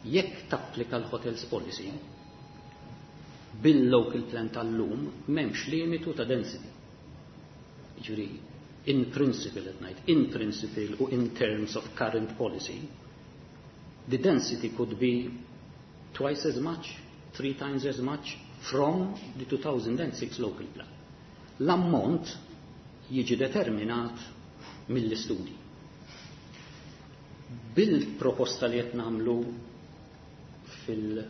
Jekk tapplika l-hotels policy, bil-local plan tal-lum m'hemmx limitu ta' density. Jiġifieri, in principle at night, in principle u in terms of current policy, the density could be twice as much, three times as much from the two thousand and six local plan. L-ammont jiġi determinat mill-istudji. Bil-proposta li qed nagħmlu fil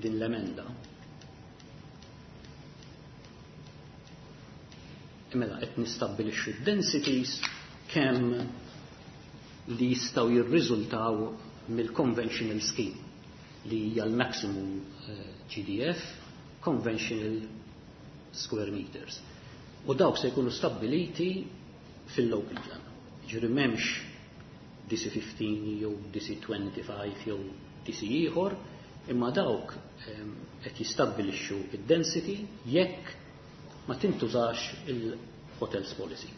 din l-emenda, mela qed nistabbilixxu densities kemm li jistgħu jirriżultaw mill-conventional scheme li hija l-maximum, eh, G D F conventional square meters. U dawk se jkunu stabbiliti fil-local plan. Ġifieri m'hemmx D C fifteen jew D C twenty-five jew D C ieħor, imma dawk, ehm, qed jistabbilixxu id-density jekk ma tintużax il-hotels policy.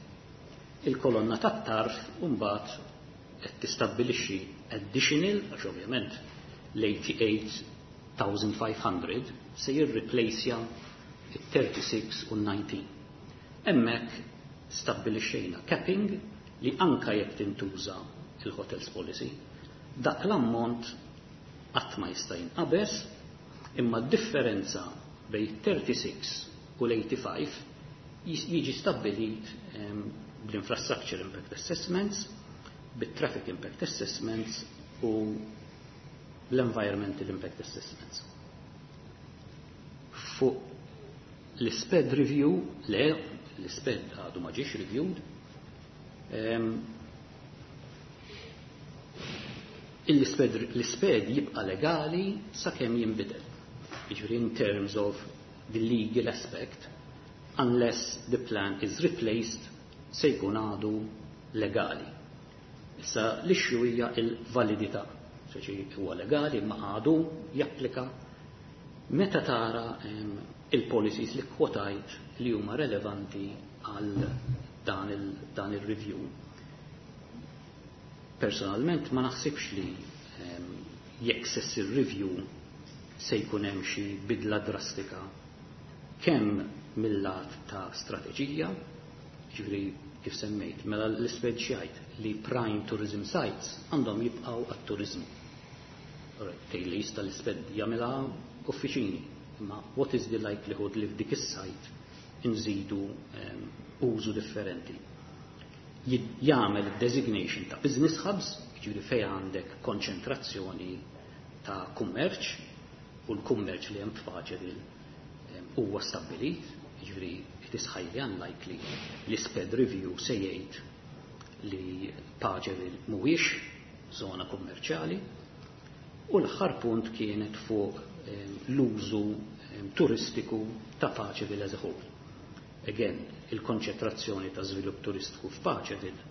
Il-kolonna tat-tarf mbagħad qed tistabbilixxi additional, għax ovvjament l-eighty-eight thousand five hundred se jirreplacja it-thirty-six u nineteen. Hemmhekk stabbilixxejna capping li anka jekk tintuża il-hotels policy, dak l-ammont qatt ma jista' jinqabeż, imma d-differenza bejn thirty-six u l-eighty-five jiġi stabbilit bl-infrastructure impact assessments, bit-traffic impact assessments u l-environmental impact assessments. Fuq l-SPED review, le, l-SPED għadu ma ġiex reviewed, l-SPED jibqa legali sakemm jinbidel. Jiġifieri in terms of the legal aspect, unless the plan is replaced, se jkun għadu legali. Issa l-issue hija l-validità. Speċi huwa legali ma għadu japplika meta tara il-policies li kwotajt li huma relevanti għal dan il, dan il-review. Personalment ma naħsibx li jekk se ssir review se jkun hemm xi bidla drastika kemm mill-lat ta' strateġija, ġifieri kif semmejt, mela l-SPED jgħid li prime tourism sites għandhom jibqgħu għat-turizmu. Tgħid li jista' l-SPED jagħmilha uffiċini, imma what is the likelihood li f'dik is-site inżidu użu differenti. Jagħmel designation ta' business hubs, ġifieri fejn għandek konċentrazzjoni ta' kummerċ, u l-kummerċ li hemm f'Paċeville huwa stabbilit, ġifieri it is highly unlikely li SPED review se jgħid li Paceville mhuwiex żona kummerċjali. U l-aħħar punt kienet fuq l-użu turistiku ta' Paceville as a whole. Again, il-konċentrazzjoni ta' żvilupp turistiku f'Paceville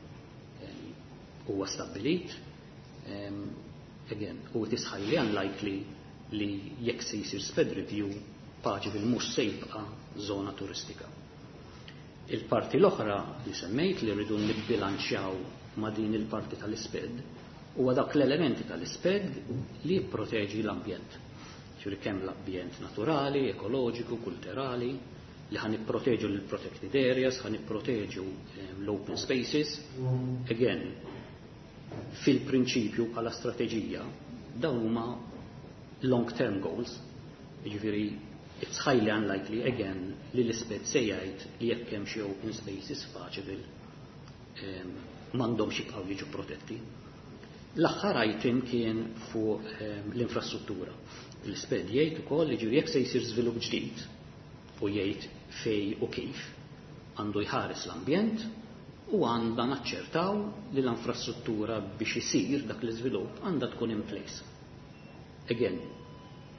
huwa stabbilit. Again, u it is highly unlikely li jekk se jsir SPED review Paceville mhux se jibqa' żona turistika. Il-parti l-oħra li semmejt li rridu nibbilanċjaw ma' din il-parti tal-SPED huwa dak l-elementi tal-SPED li jipproteġi l-ambjent. Ġifieri kemm l-ambjent naturali, ekoloġiku, kulturali, li ħan nipproteġu l-protected areas, ħan nipproteġu l-open spaces. Again, fil-prinċipju bħala strateġija, dawn huma long-term goals, jiġifieri it's highly unlikely again li l-SPED se jgħid li jekk hemm xi open spaces f'Paceville m'għandhomx jibqgħu jiġu protetti. L-aħħar item kien fuq l-infrastruttura. L-SPED jgħid ukoll li ġifieri jekk se jsir żvilupp ġdid u jgħid fej u kif għandu jħares l-ambjent u għandha naċċertaw li l-infrastruttura biex isir dak l-iżvilupp għandha tkun in place. Again,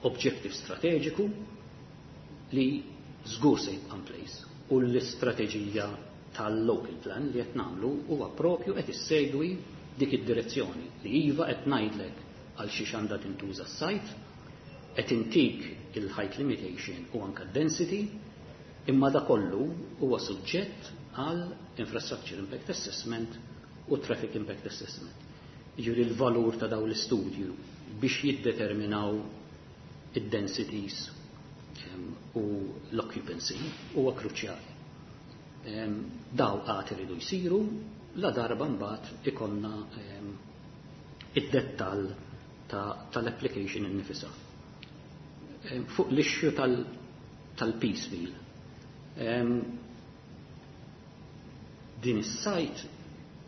objective strateġiku li żgur se jibqa' in place u l-istrateġija tal-local plan li qed nagħmlu huwa propju qed issegwi dik id-direzzjoni li iva qed ngħidlek għal xiex għandha tintuża s-sajt, qed intik il-height limitation u anke density, imma da kollu huwa suġġett għal infrastructure impact assessment u traffic impact assessment. Jiġifieri l-valur ta' dawn l-istudju biex jiddeterminaw id-densities u l-occupancy huwa kruċjali. Daw għad iridu jsiru la darba mbagħad ikollna id-dettall tal-application innifisha. Fuq l-issue tal-piecemeal. Din is-site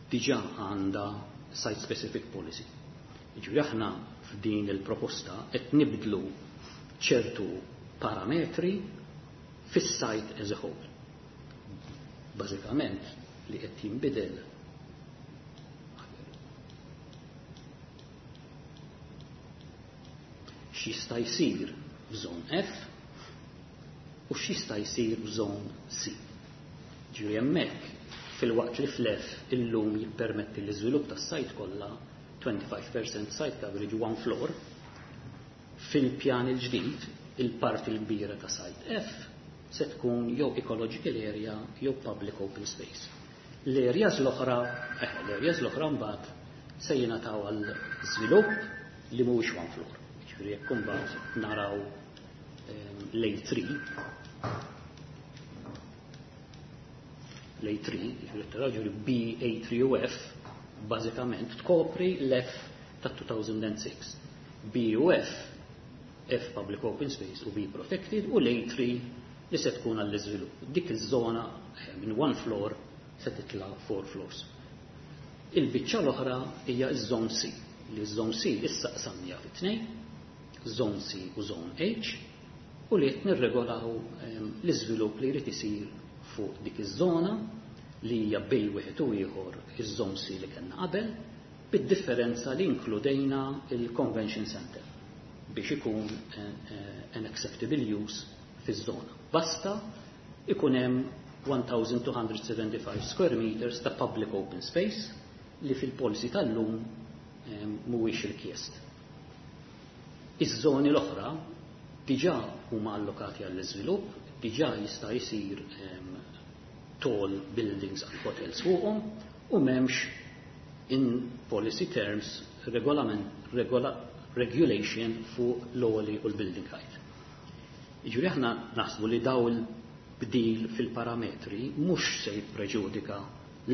diġà għandha site specific policy. Jiġifieri aħna f'din il-proposta qed nibdlu ċertu parametri fis-site as a whole. Bażikament li qed jinbidel x'jista' jsir f'żon F u x'jista' jsir f'żon C. Ġifieri hemmhekk fil-waqt li fl-F illum jippermetti l-iżvilupp tas-sajt kollha twenty-five percent site coverage one floor, fil-pjan il-ġdid il-parti l-kbira ta' site F se tkun jew ecological area jew public open space. L-areas l-oħra, eh, l-areas l-oħra mbagħad se jingħataw għal żvilupp li mhuwiex one floor. Ġifieri jekk imbagħad naraw, ehm, l A three L A tlieta, ġifieri B, A tlieta u F, bażikament tkopri l-F ta' elfejn u sitta. B u F, F public open space u B protected, u l A tlieta li se tkun għall-iżvilupp. Dik iż-żona eh, minn one floor se titla four floors. Il-biċċa l-oħra hija ż-Zone C, li ż-Zone C issa qsamnija fi tnejn, Zone C u Zone H, u li qed nirregolaw ehm, l-iżvilupp li jrid isir fuq dik iż-żona li hija bejn wieħed u ieħor iż-Zone C li kellna qabel, bid-differenza li inkludejna il-Convention Center biex ikun eh, eh, an acceptable use fiż-żona. Basta ikun hemm elf u mitejn u sebgħa u ħamsin square meters ta' public open space li fil-policy tal-lum eh, mhuwiex rikjest. Iż-żoni l-oħra diġà huma allokati għall-iżvilupp, diġà jista' jsir tall buildings għal hotels fuqhom u m'hemmx in policy terms regolament, regola, regulation fuq l-għoli u l-building height. Jiġifieri aħna naħsbu li daw il-bdil fil-parametri mhux se jippreġudika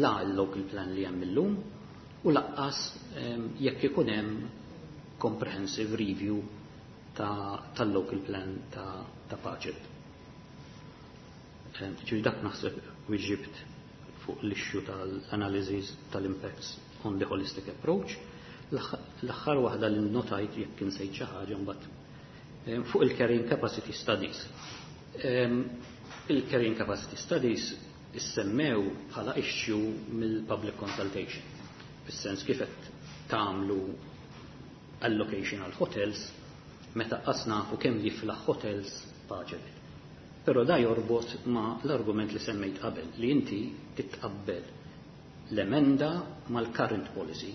la l-local plan li hemm illum u lanqas jekk ikun hemm comprehensive review tal-local plan ta', ta Paceville. Ġifieri dak naħseb weġibt fuq l-issue tal-analysis tal-impacts on the holistic approach. L-aħħar waħda li notajt, jekk insejt xi ħaġa mbagħad, fuq il-carrying capacity studies. Il-carrying capacity studies issemmew bħala issue mill-public consultation. Fis-sens kif qed tagħmlu allocation għal hotels meta qas nafu kemm jiflaħ hotels Paceville. Però da jorbot ma l-argument li semmejt qabel, li inti titqabbel l-emenda mal-current policy.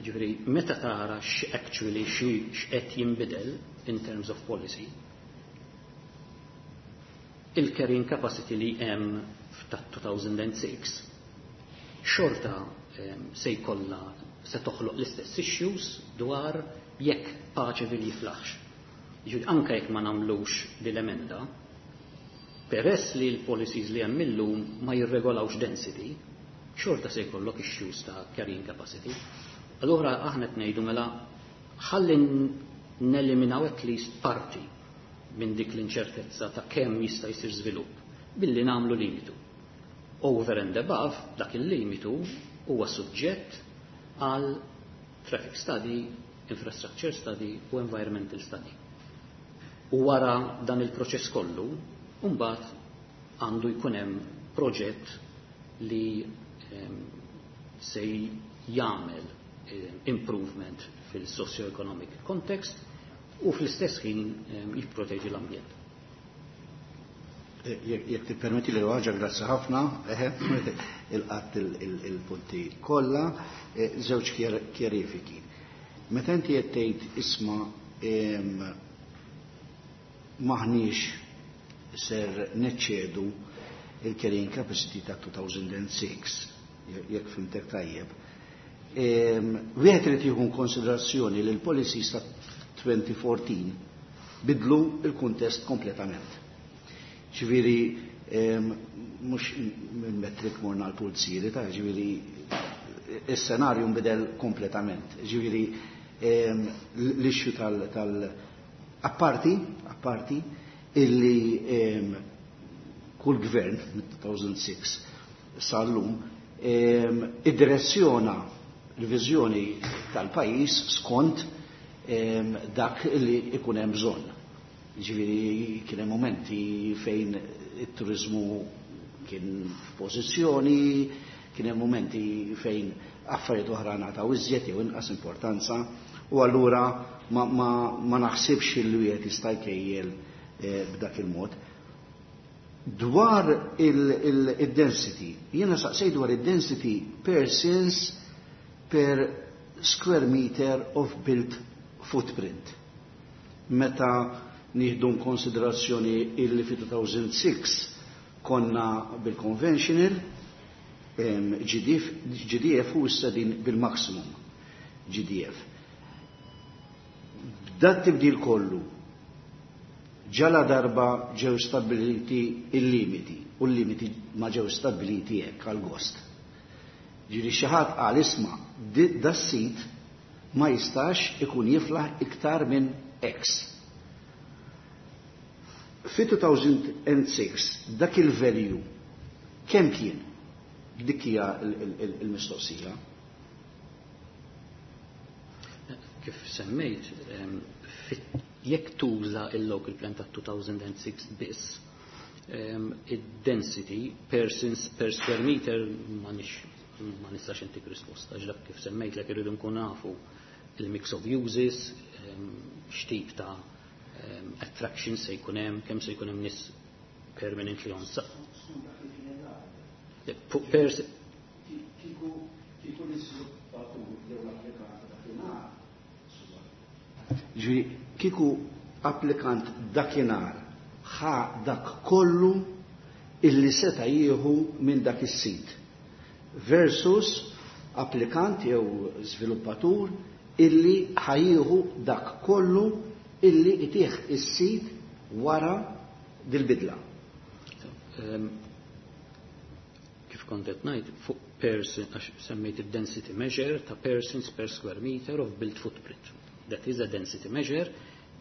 Ġifieri, meta tara x-actually x'qed jinbidel in terms of policy, il-carrying capacity li hemm ta' elfejn u sitta xorta se jkollha se toħloq l-istess issues dwar jekk Paceville jiflaħx. Ġifieri anke jekk ma nagħmlux l-emenda, peress li l-policies li hemm illum ma jirregolawx density, xorta se jkollok issues ta' carrying capacity. Allura aħna qed ngħidu mela ħalli neliminaw at least parti minn dik l-inċertezza ta' kemm jista' jsir żvilupp billi nagħmlu limitu. Over and above, dak il-limitu huwa suġġett għal traffic study, infrastructure study u environmental study. U wara dan il-proċess kollu, mbagħad għandu jkun hemm proġett li se jagħmel improvement fil-socio-economic context u fl-istess ħin jipproteġi l-ambjent. Eh, jekk tippermetti li ħaġa, grazzi ħafna, il-qatt il-punti kollha, eh, żewġ kjarifiki. Meta inti qed tgħid, isma', maħniex ser neċċedu il-carrying capacity ta' elfejn u sitta, jekk fhimtek tajjeb. Wieħed irid jieħu konsiderazzjoni li l-policies ta' elfejn u erbatax bidlu il-kuntest kompletament. Ġifieri, mhux minn metric morna l-pulziri, ta' ġifieri, il-senarju nbidel kompletament. Ġifieri, l-issue tal, tal apparti, apparti, illi kull gvern mit-elfejn u sitta sal-lum id-direzzjona l-viżjoni tal-pajjiż skont dak li ikun hemm bżonn. Ġifieri kien hemm momenti fejn it-turizmu kien f'pożizzjoni, kien hemm momenti fejn affarijiet oħra ngħataw iżjed jew inqas importanza u allura ma, ma, ma naħsibx li wieħed jista' jkejjel eh, b'dak il-mod. Dwar il-density, jiena saqsej dwar il-density persons per square meter of built footprint. Meta nieħdu konsiderazzjoni illi fi elfejn u sitta konna bil-conventional G D F, G D F u issa din bil-maximum G D F. Dat tibdil kollu, Ġala darba ġew stabiliti il-limiti, u l-limiti ma ġew stabiliti hekk għal-gost. Ġifieri xi ħadd qal isma' das-sit ma jistax ikun jiflaħ iktar minn X. Fi two thousand six dak il-value kemm kien? Dik hija il-mistoqsija. Kif semmejt, jekk tuża il-local plan ta' two thousand six biss, id-density persons per square meter ma nix ma nistax intik risposta, għax dak kif semmejt lek irridu nkun nafu il-mix of uses, x'tip ta' attraction se jkun hemm, kemm se jkun hemm nies permanently on site. Per Kieku l-iżviluppatur jew l-applikant dakinhar, ġifieri kieku applikant dakinhar ħa dak kollu illi seta' jieħu minn dak is-sit versus applikant jew żviluppatur illi ħa jieħu dak kollu illi itih is-sit wara dil-bidla. Kif kont qed ngħid, fuq person, għax semmejt id-density measure ta' persons per square meter of built footprint. That is a density measure,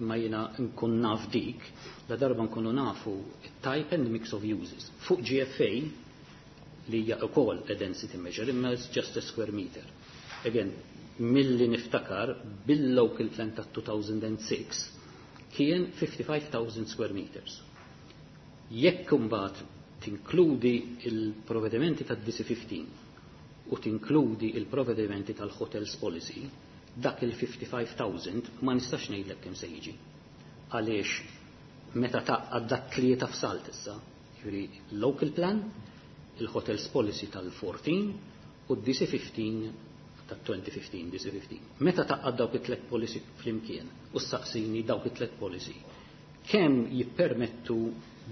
ma jiena nkun naf dik, la darba nkunu nafu type and mix of uses. Fuq G F A li hija wkoll a density measure, imma it's just a square meter. Again, milli niftakar bil-local plan ta' two thousand six kien fifty-five thousand square meters. Jekk imbagħad tinkludi il-provvedimenti tad D C fifteen u tinkludi il-provvedimenti tal-hotels policy, dak il-fifty-five thousand ma nistax ngħidlek kemm se jiġi. Għaliex meta taqgħad dak tlieta f'salt issa, jiġifieri local plan, il-hotels policy tal-fourteen u d-D C fifteen tat-twenty fifteen, D C fifteen. Meta taqgħad dawk it-tlet policy flimkien u staqsini dawk it-tlet policy, kemm jippermettu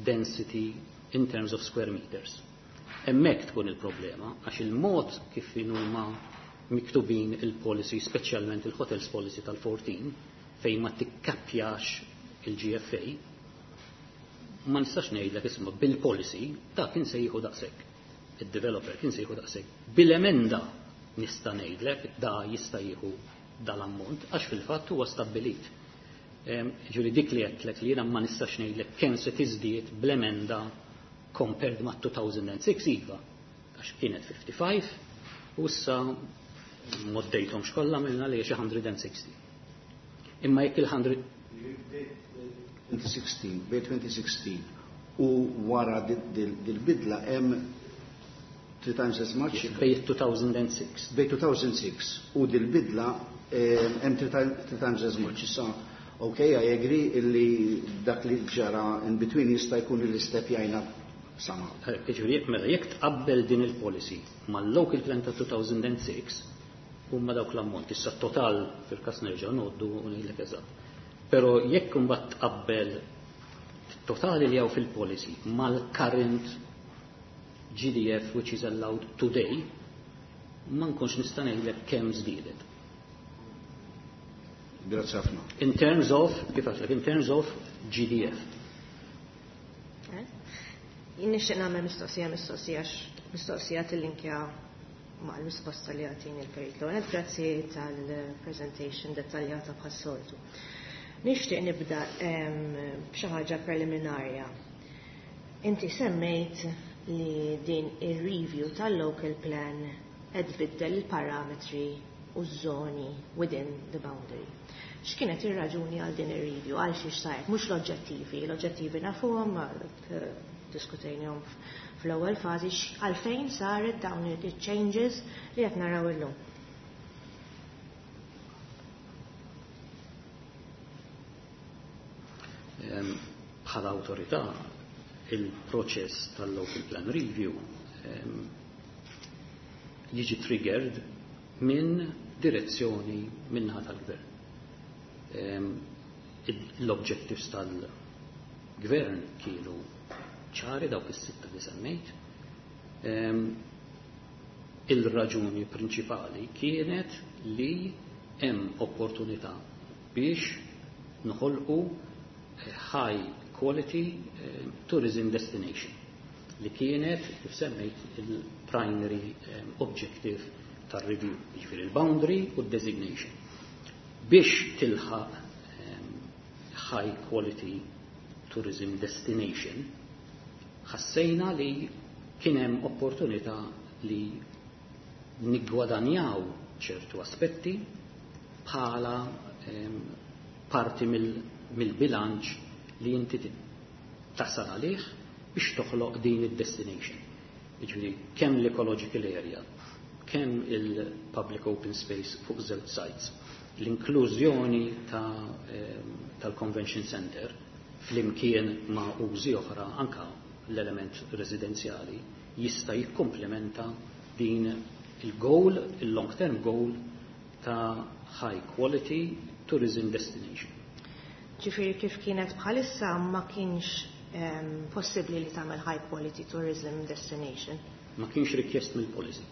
density in terms of square meters? Hemmhekk tkun il-problema, għax il-mod kif huma miktubin il-policy, speċjalment il-hotels policy tal-fourteen, fejn ma tikkappjax il-G F A, ma nistax ngħidlek isma' bil-policy ta' kien se jieħu daqshekk. Il-developer kien se jieħu daqshekk. Bil-emenda nista' ngħidlek da jista' jieħu dal-ammont għax fil-fatt huwa stabbilit. Ġifieri dik li għedtlek li jiena ma nistax ngħidlek kemm se tiżdied bl-emenda compared ma' two thousand six, iva, għax kienet fifty-five u issa moddejthom xkollha minna li xi one hundred sixty. Imma jekk il-one hundred twenty sixteen, bej twenty sixteen u wara dil-bidla hemm three times as much. Bej two thousand six. Bej two thousand six u dil-bidla hemm three times as much. Issa, okay, I agree illi dak li ġara in between jista' jkun li stepjajna sama. Ġifieri, mela jekk tqabbel din il-policy mal-local plan ta' two thousand six huma dawk l-ammont. Issa total fil-każ nerġa' ngħoddu u ngħidlek eżatt. Però jekk imbagħad tqabbel totali li hawn fil-policy mal-current G D F which is allowed today, ma nkunx nista' ngħidlek kemm żdiedet. Grazzi ħafna. In terms of, kif għedtlek, in terms of G D F. Jien nixtieq nagħmel mistoqsija mistoqsija mistoqsija tillinkja ma' l-risposta li għatini l-Perit Lonet. Grazzi tal-presentation dettaljata bħas-soltu. Nixtieq nibda b'xi ħaġa preliminarja. Inti semmejt li din ir-review tal-local plan qed tbiddel il-parametri u z-zoni within the boundary. X'kienet ir-raġuni għal din ir-review? Għal xiex saret? Mhux l-oġġettivi, l-oġġettivi nafuhom, diskutejnihom fl-ewwel fażi, għalfejn saret dawn il-changes li qed naraw illum. Bħala awtorità il-proċess tal-local plan review jiġi triggered minn direzzjoni minnaħa tal-gvern. L-objectives tal-gvern kienu ċari, dawk is-sitta li semmejt. Il-raġuni prinċipali kienet li hemm opportunità biex noħolqu high quality um, tourism destination li kienet, kif semmejt, il-primary um, objective tar-review, jiġifieri il-boundary u d-designation. Biex tilħaq um, high quality tourism destination, ħassejna li kien hemm opportunità li niggwadanjaw ċertu aspetti bħala um, parti mill-bilanċ li inti tasal għalih biex toħloq din id-destination. Jiġifieri kemm l-ecological area, kemm il-public open space fuq żewġ sites, l-inklużjoni tal-convention center flimkien ma' użi oħra, anka l-element residenzjali, jista' jikkomplementa din il-goal, il-long term goal ta' high quality tourism destination. Ġifieri kif kienet bħalissa ma kienx um, possibbli li tagħmel high quality tourism destination. Ma kienx rikjest mill-policy.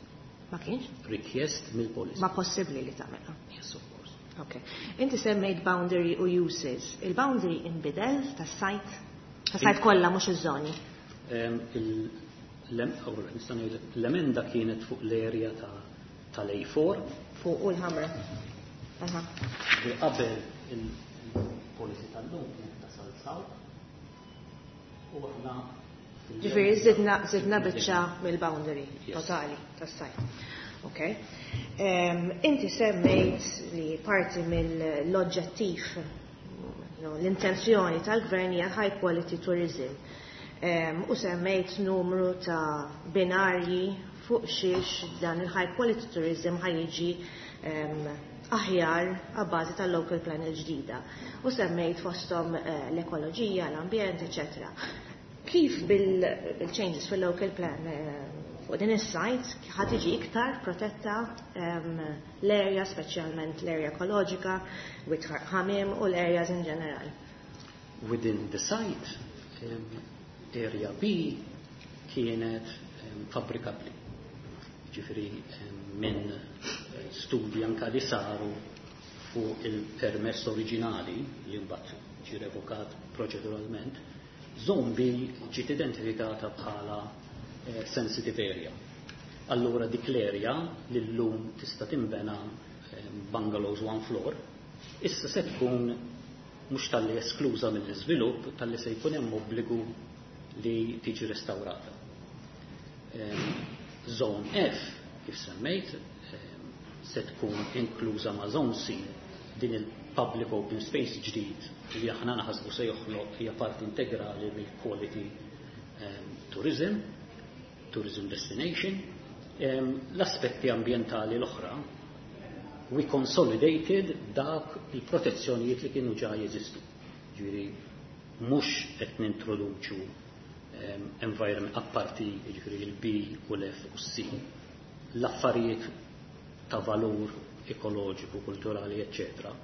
Ma kienx? Rikjest mill-policy. Ma possibbli li tagħmelha. Yes, of course. Ok. Inti semmejt boundary u uses. Il-boundary inbidel tas-site? Tas-site kollha, mhux iż-żoni. Um, L-emenda kienet fuq l-area tal-A four. Fuq u l-ħamra. Aha. Li qabel il-policy tal-lum kienet tasal south u aħna Ġifieri zidna, zidna biċċa mill-boundary Yes. totali tas-site. Ok. Um, inti semmejt li parti mill-oġġettiv, no, l-intenzjoni tal-gvern hija high quality tourism. Um, u semmejt numru ta' binarji fuq xiex dan il-high quality tourism ħa jiġi um, aħjar għabbażi tal-local plan il-ġdida. U semmejt fostom uh, l-ekoloġija, l-ambjent, eccetera. Kif bil-changes fil-local plan eh, fuq din is-site ħa tiġi iktar protetta um, l-area, speċjalment l-area ekoloġika, Wied Ħamiem u l-areas in ġeneral? Within the site, um, area B kienet um, fabbrikabli. Ġifieri um, minn eh, studji anka li saru fuq il-permess oriġinali li mbagħad ġie revokat proċeduralment, Zone B ġiet identifikata bħala eh, sensitive area. Allura dik l-area li llum tista' tinbena eh, bungalows one floor, issa se tkun mhux talli eskluża mill-iżvilupp, talli se jkun hemm obbligu li tiġi restaurata. Em, Zone F, kif semmejt, em, se tkun inkluża ma' Zone C, din il-public open space ġdid li aħna naħsbu se joħloq hija parti integrali mill-quality um, tourism, tourism destination. Um, L-aspetti ambientali l-oħra, we consolidated dak il-protezzjonijiet li kienu ġa jeżistu. Ġifieri, mhux qed nintroduċu um, environment apparti, ġifieri il-B u l-F u C. L-affarijiet ta' valur ekoloġiku, kulturali, eccetera,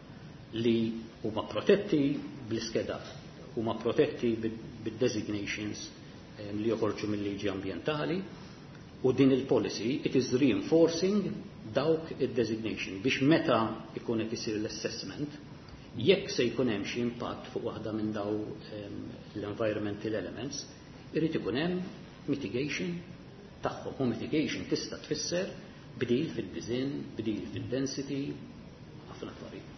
li huma protetti bl-iskeda, huma protetti bid-designations um, li joħorġu mill-liġi ambientali, u din il-policy, it is reinforcing dawk id-designation biex meta ikun qed isir l-assessment, jekk se jkun hemm xi impatt fuq waħda minn daw um, l-environmental elements, irid ikun hemm mitigation tagħhom. U mitigation tista' tfisser bdil fid-design, bdil fid-density, ħafna affarijiet.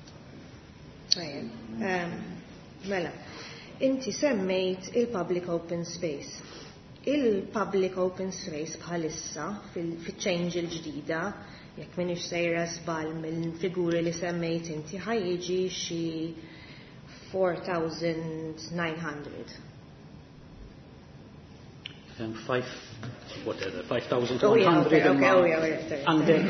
Tajjeb. Um, mela, inti semmejt il-public open space. Il-public open space bħalissa fil-change il-ġdida, jekk minix sejra żball mill-figuri li semmejt inti, ħa jiġi xi erba' elef u disa' mija. Um, five, whatever, five thousand one hundred. Oh, yeah, okay, okay, oh, yeah, yeah, sorry. Għandek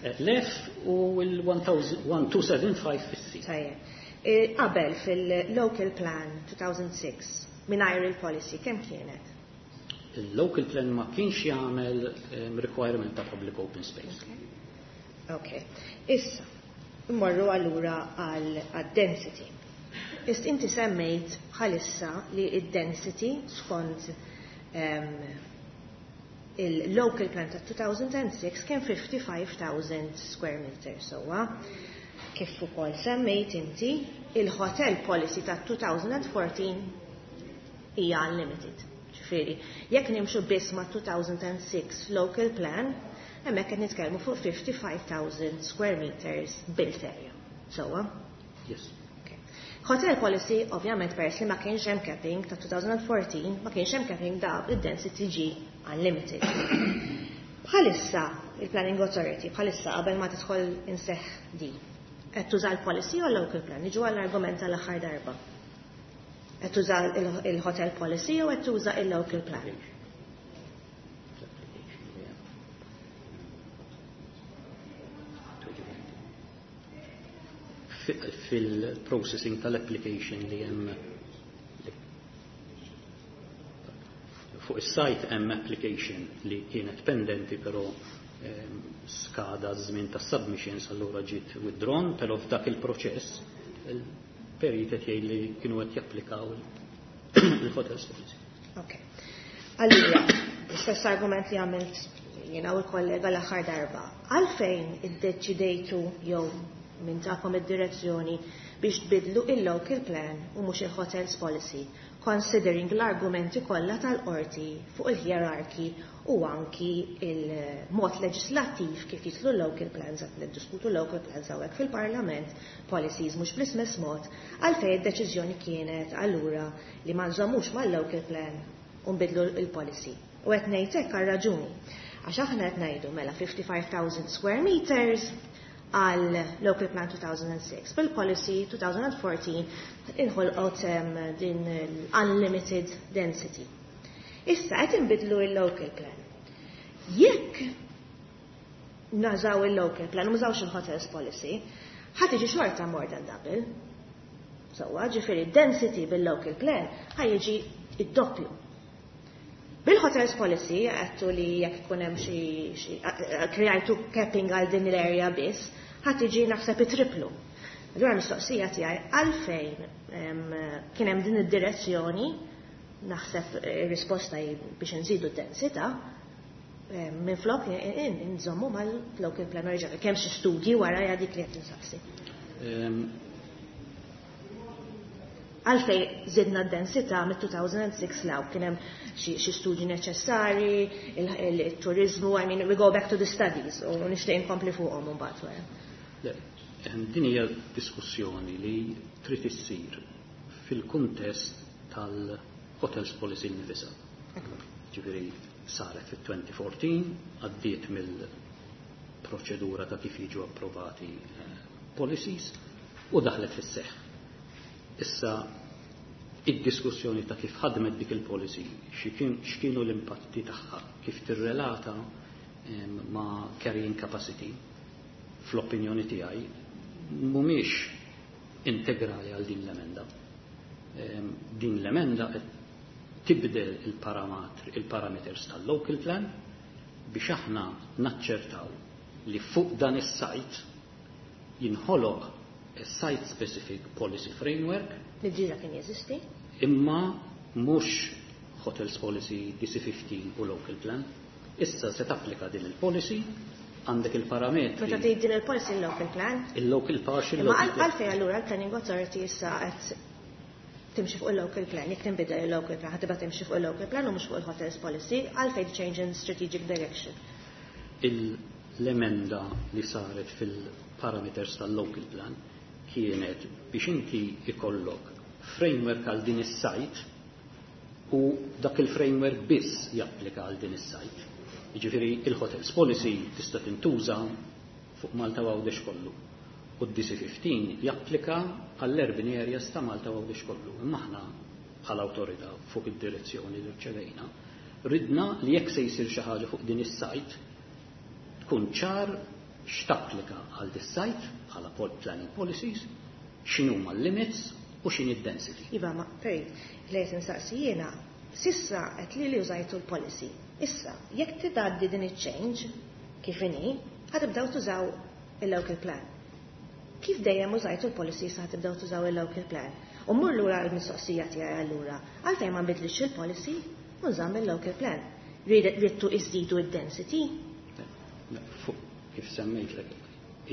eh, l-F u l-elf u mitejn u seba' ħamsin fis-C. Tajjeb. E, Qabel fil-local plan elfejn u sitta, mingħajr il-policy, kemm kienet? Il-local plan ma kienx jagħmel um, requirement ta' public open space. Ok. Issa, mmorru allura għal density. Is inti semmejt bħalissa li id-density skont um, il-local plan ta' elfejn u sitta kien ħamsa u ħamsin elf square meter sowa. Kif ukoll semmejt inti, il-hotel policy ta' elfejn u erbatax hija unlimited. Ġifieri, jekk nimxu biss ma' two thousand and six local plan, hemmhekk qed nitkellmu fuq fifty-five thousand square meters built area. Sewwa? Yes. Okay. Hotel policy, ovvjament, peress li ma kienx hemm capping ta' twenty fourteen, ma kienx hemm capping, da id-density ġi unlimited. Bħalissa il-Planning Authority, bħalissa qabel ma tidħol fis-seħħ di, qed tuża l-policy u l-local plan, niġu għall-argument tal-aħħar darba. Qed tuża il-hotel policy u qed tuża il-local plan? L-application li hemm. Fi- Fil-processing tal-application li hemm fuq is-site hemm application li kienet pendenti, però ehm, skada żmien tas submissions, allura ġiet withdrawn, però f'dak il-proċess il-perit qed jgħid li kienu qed japplikaw il-hotels policy. Ok. Allura, l-istess argument li għamilt jiena u l-kollega l-aħħar darba. Għalfejn iddeċidejtu jew min takom id-direzzjoni biex tbidlu il-local plan u mhux il-hotels policy, considering l-argumenti kollha tal-qorti fuq il-hierarchy u anki il-mod leġislattiv kif jidħlu local plans, qed niddiskutu local plans hawnhekk fil-Parlament, policies mhux bl-istess mod, għalfejn id-deċiżjoni kienet allura li ma nżommux mal-local plan u nbidlu il-policy? U qed ngħid hekk għal raġuni. Għax aħna qed ngħidu mela fifty-five thousand square meters għal Local Plan two thousand and six. Bil-policy twenty fourteen inħolqot um, din l-unlimited density. Issa qed inbidlu il-local plan. Jekk nużaw il-local plan, u mużawx il-hotels policy, ħa tiġi xorta more than double. Sewwa, ġifieri density bil-local plan ħa jiġi id-doppju. Bil-hotels policy, għedtu li jekk ikun hemm xi krejajtu capping għal din l-area biss, ħa tiġi naħseb it-triplu. Allura mistoqsija tiegħi, għalfejn kien hemm din id-direzzjoni? Naħseb ir-risposta hi biex nżidu d-densità minn flok nżommu mal-local plan oriġinali. Kemm xi studji wara dik li qed insaqsi? Għalfej zidna d-densità mit-two thousand and six law? Kien hemm xi studji neċessari, il-turizmu, I mean, we go back to the studies u nixtieq inkompli fuqhom imbagħad wara. Le, din hija diskussjoni li trid issir fil-kuntest tal-hotels policy nifisha. Ġifieri saret fit-twenty fourteen, għaddiet mill-proċedura ta' kif jiġu approvati eh, policies u daħlet fis-seħħ. Issa id-diskussjoni ta' kif ħadmet dik il-policy, x'kienu l-impatti tagħha, kif tirrelata ma' carrying capacity, fl-opinjoni tiegħi mhumiex integrali għal din l-emenda. Din l-emenda qed tibdel il-parameters tal-local plan biex aħna naċċertaw li fuq dan is-site jinħoloq site specific policy framework. Li diġà kien jeżisti? Imma mhux hotels policy, D C fifteen u local plan. Issa se tapplika din il-policy, għandek il-parametri. Meta tgħid din il-policy, il-local plan? Il-local partial Imma local plan. għalfejn allura l-Planning Authority issa qed timxi fuq il-local plan? Jekk tinbidel il-local plan, ħa tibqa' timxi fuq il-local plan u mhux fuq il-hotels policy, għalfejn change in strategic direction? L-emenda li saret fil-parameters tal-local plan kienet biex inti ikollok framework għal din is-site u dak il-framework biss japplika għal din is-site. Jiġifieri il-hotels policy tista' tintuża fuq Malta u Għawdex kollu. U d-D C fifteen japplika għall-urban areas ta' Malta u Għawdex kollu. Imma aħna bħala awtorità, fuq id-direzzjoni li rċevejna, ridna li jekk se jsir xi ħaġa fuq din is-site, tkun ċar x'tapplika għal dis-site bħala planning policies, x'inhuma l-limits u x'inhi d-density. Iva, ma perit, li qed insaqsi jiena, s'issa qed li li użajtu l-policy. Issa, jekk titgħaddi din iċ-change kif inhi, ħa tibdew tużaw il-local plan. Kif dejjem użajtu l-policy, sa tibdew tużaw il-local plan? U mmur lura l-mistoqsija tiegħi allura, għalfejn ma nbidlix il-policy u nżamm il-local plan? Ridtu iżidu id-density? Fuq kif semmejtlek,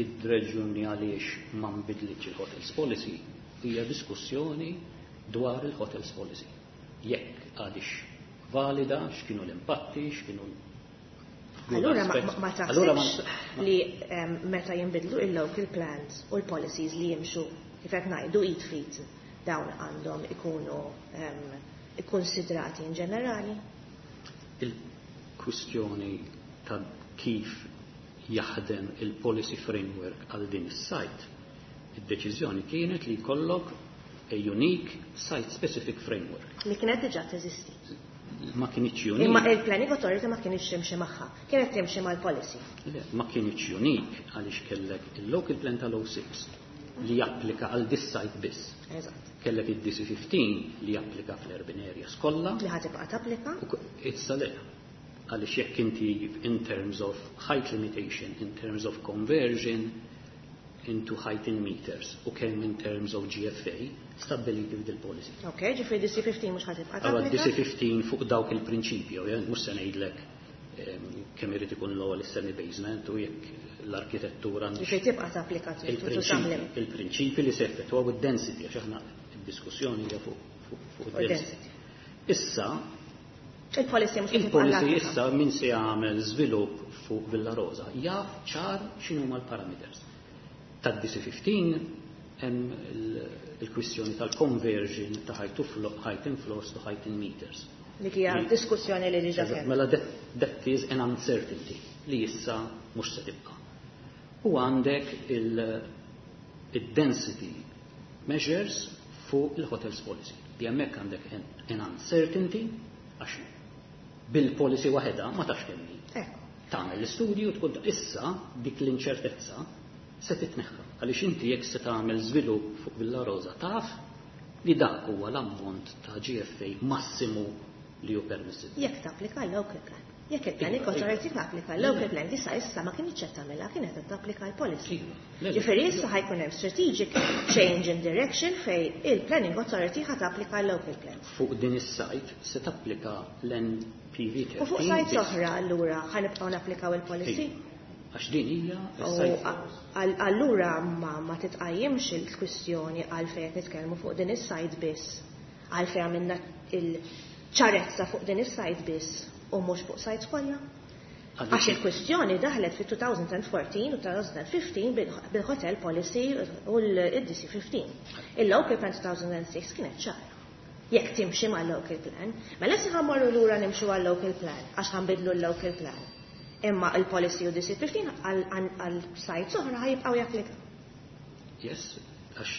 id-raġuni għaliex ma nbidlitx il-hotels policy hija diskussjoni dwar il-hotels policy. Jekk għadhiex valida, x'kienu l-impatti, x'kienu Allura ma taħsibx li meta jinbidlu il-local plans u l-policies li jimxu kif qed ngħidu id f'id, dawn għandhom ikunu ikkonsidrati in ġenerali? Il-kwistjoni ta' kif jaħdem il-policy framework għal din is-site, id-deċiżjoni kienet li jkollok a unique site-specific framework. Li kienet diġà teżisti. Ma kinitx unique. Imma il-Planning Authority ma kinitx timxi magħha, kienet timxi mal-policy. Le, ma kinitx unique għaliex kellek il-local plan tal-oh six li japplika għal this site biss. Eżatt. Kellek id-D C fifteen li japplika fl-urban areas kollha. Li ħa tibqa' tapplika? Issa le. Għaliex jekk inti in terms of height limitation, in terms of conversion into height in meters u kemm in terms of G F A, stabbiliti f'dil policy. Ok, ġifieri D C fifteen mhux ħa tibqa' Allora tapplika? D C fifteen fuq dawk il-prinċipji, ovvjament mhux se ngħidlek em, kemm irid ikun l-ewwel is-semi basement u jekk l-arkitettura għandix Ġifieri tibqa' tapplika to some il-prinċipi limit. Il-prinċipi li se effettwaw id-density, għax aħna id-diskussjoni hija fuq fuq fuq Fuq id-density. Issa Il-policy mhux ħa tibqa' il-policy l-applika. Issa min se jagħmel żvilupp fuq Villa Rosa jaf ċar x'inhuma l-parameters. Tad-D C fifteen hemm il- il-kwistjoni tal-conversion ta' height to flo- height in floors to height in meters. Dik hija Li- diskussjoni li diġà kellna. Mela that, that is an uncertainty li issa mhux se tibqa'. U għandek il-density measures fuq il-hotels policy. Li hemmhekk għandek an, an uncertainty għax bil-policy waħedha ma tafx kemm hi. Ekku. Tagħmel l-istudju tkun issa dik l-inċertezza se titneħħa. Għaliex inti jekk se tagħmel żvilupp fuq Villa Rosa taf li dak huwa l-ammont ta' G F A massimu li hu permissibbli. Jekk tapplika l-local plan. Jekk il-Planning Iva, iva. Authority tapplika l-local plan, issa issa ma kienx qed tagħmilha, kienet qed tapplika l-policy. Iva. Le, le. Ġifieri issa ħa jkun hemm strategic change in direction fej il-Planning Authority ħa tapplika l-local plan. Fuq din is-site se tapplika l N P V thirteen. U fuq sites biss. oħra allura ħa nibqgħu napplikaw il-policy? Iva. Għax din hija U is-site. għal- allura ma, ma titqajjimx il-kwistjoni għalfejn qed nitkellmu fuq din is-site biss. Għalfejn għamilna il-ċarezza fuq din is-site biss u mhux fuq sites kollha. Għax il-kwistjoni daħlet fi elfejn u erbatax u elfejn u ħmistax bil- bil-hotel policy u l-D C fifteen. Il-local plan elfejn u sitta kienet ċara. Jekk timxi ma' local plan, mela issa ħa mmorru lura nimxu għal local plan, għax ħa nbiddlu l-local plan. Imma il-policy u D C fifteen għal sites oħra ħa jibqgħu japplika. Yes, għax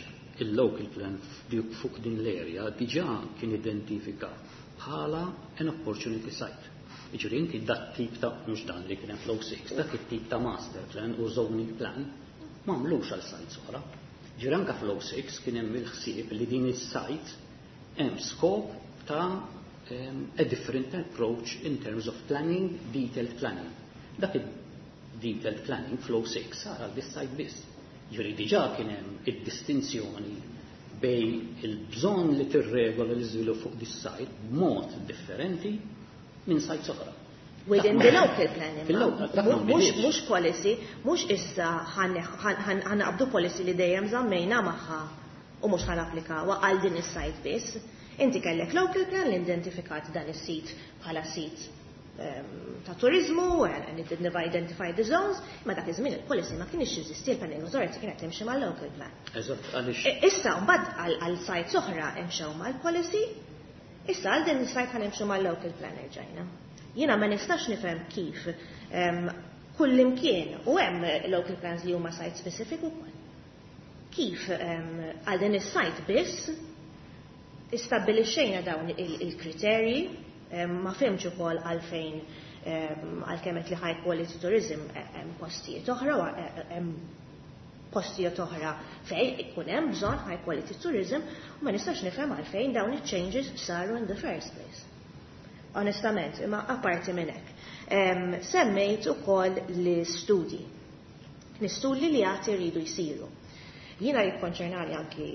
il-local plan fuq din l-area diġà kien identifika bħala an opportunity site. Iġri inti dat tip ta', mhux dan li kien hemm fl-oh six, dak it-tip ta' master plan u zoning plan m'għamlux għal sites oħra. Ġiri anka fl-oh six kien hemm il-ħsieb li din is-site hemm skop ta' um, a different approach in terms of planning, detailed planning. Dak il-detailed planning fl-oh six sar għal this site biss. Ġiri diġà kien hemm id-distinzjoni bejn il-bżonn li tirregola l-iżvilupp fuq this site b'mod differenti minn sites oħra. Within the local plan imma. Fil-local, dak ma Mhux nbidilx. Mhux policy, mhux issa ħa naqbdu policy li dejjem żammejna magħha u mhux ħa napplikawha għal din is-site biss. Inti kellek local plan li identifikat dan is-sit bħala sit ehm, ta' turizmu, and it didn't identify the zones, ma dak iż-żmien il-policy ma kienx jeżisti, il-planning authority kienet timxi mal-local plan. Eżatt, għaliex E- Issa mbagħad għal għal sites oħra imxew mal-policy, issa għal din is-site ħa nimxu mal-local plan erġajna. Jiena ma nistax nifhem kif em, kull imkien u hemm local plans li huma site specific ukoll. Kif em, għal din is-site biss istabbilixxejna dawn il- il-kriterji, em, ma fhimx ukoll għalfejn em, għalkemm qed li high quality tourism eh, hemm postijiet oħra u eh, hemm postijiet oħra fejn ikun hemm bżonn high quality tourism u ma nistax nifhem għalfejn dawn iċ-changes saru in the first place. Onestament, imma apparti minn hekk. Em, Semmejt ukoll l-istudji. L-istudji li għad iridu jsiru. Jiena jikkonċernani anki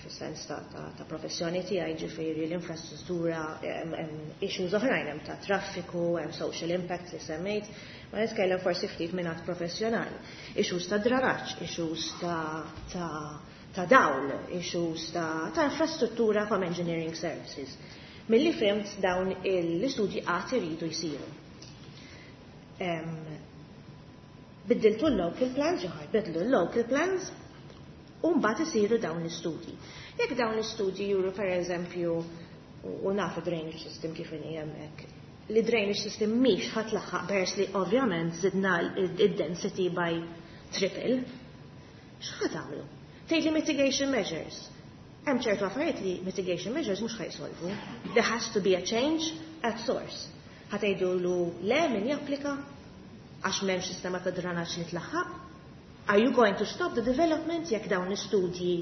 fis-sens ta', ta, ta' professjoni tiegħi, ġifieri l-infrastruttura, hemm hemm issues oħrajn, hemm ta' traffiku, hemm social impact li semmejt, ma nitkellem forsi ftit minn għad professjonali. Issues ta' dranaġġ, issues ta', ta, ta' dawl, issues ta', ta' infrastruttura from engineering services. Milli fhimt, dawn l-istudji għad iridu jsiru. Biddiltu l-local plans, jew bidlu l-local plans, u mbagħad isiru dawn l-istudji. Jekk dawn l-istudji juru, per eżempju, u nafu drainage system kif inhi hemmhekk, li drainage system mhix ħa tlaħħaq peress li ovvjament zidna id-density by triple, x'ħa tagħmlu? Tgħid li mitigation measures. Hemm ċertu affarijiet li mitigation measures mhux ħa jsolvu. There has to be a change at source. Ħa tgħidu le min japplika għax m'hemmx sistema ta' dranaġġ li tlaħħaq? Are you going to stop the development jekk dawn l-istudji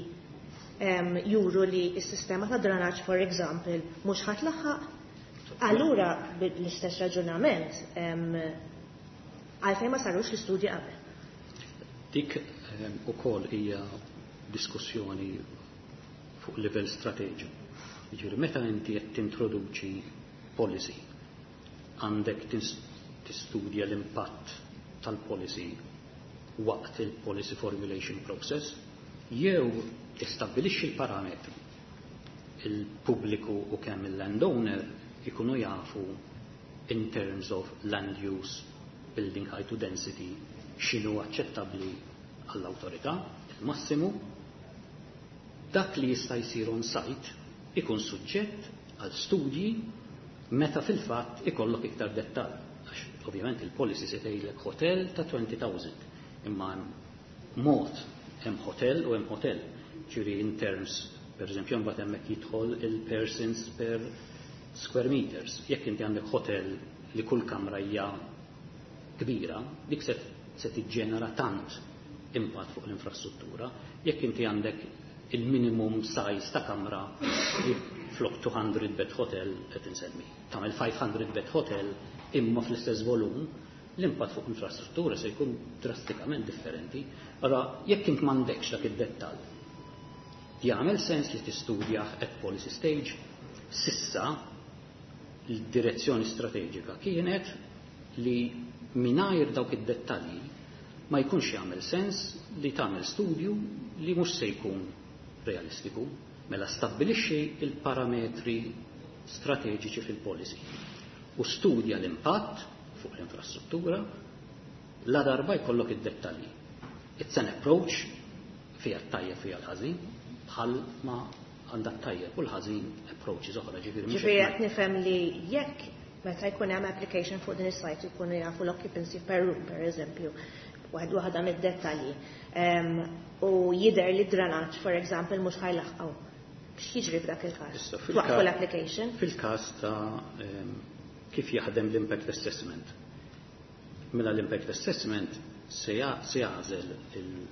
um, juru li s-sistema ta' dranaġġ, for example, mhux ħa tlaħħaq? Allura, bl-istess raġunament, għalfejn ma sarux l-istudji qabel? Dik ukoll hija diskussjoni fuq livell strateġiku. Jiġifieri, meta inti qed tintroduċi policy, għandek tistudja l-impatt tal-policy waqt il-policy formulation process, jew tistabbilixxi l-parametri, il-pubbliku u kemm il-landowner ikunu jafu in terms of land use, building height to density, x'inhu aċċettabbli għall-awtorità, il-massimu. Dak li jista' jsir on site ikun suġġett għal studji meta fil-fatt ikollok iktar dettall. Għax ovvjament il-policy se tgħidlek hotel ta' elfejn, imma mod hemm hotel u hemm hotel. Ġifieri in terms, per eżempju, mbagħad hemmhekk jidħol il-persons per square meters. Jekk inti għandek hotel li kull kamra hija kbira, dik se, se tiġġenera tant impatt fuq l-infrastruttura. Jekk inti għandek il-minimum size ta' kamra li flok two hundred bed hotel, qed insemmi, tagħmel five hundred bed hotel imma fl-istess volum, l-impatt fuq infrastruttura se jkun drastikament differenti. Allora, jekk int m'għandekx dak id-dettall, jagħmel sens li tistudja at policy stage? S'issa l-direzzjoni strateġika kienet li mingħajr dawk id-dettalji ma jkunx jagħmel sens li tagħmel studju li mhux se jkun realistiku. Mela stabbilixxi il-parametri strateġiċi fil-policy u studja l-impatt fuq l-infrastruttura la darba jkollok id-dettalji. It's an approach, fija t-tajjeb, fija l-ħażin, bħal ma għandha t-tajjeb u l-ħażin approaches oħra, ġifieri mhux Ġifieri qed qed nifhem li jekk meta jkun hemm application fuq din is-site jkunu jafu l-occupancy per room, per eżempju, waħd waħda mid-dettalji. Em, U jidher li dranaġġ, for example, mhux ħa jlaħħqu. X'jiġri f'dak il-każ? Issa, fil-ka- Twaqfu l-application? Fil-każ ta' em, kif jaħdem l-impact assessment. Mela l-impact assessment se ja- se jagħżel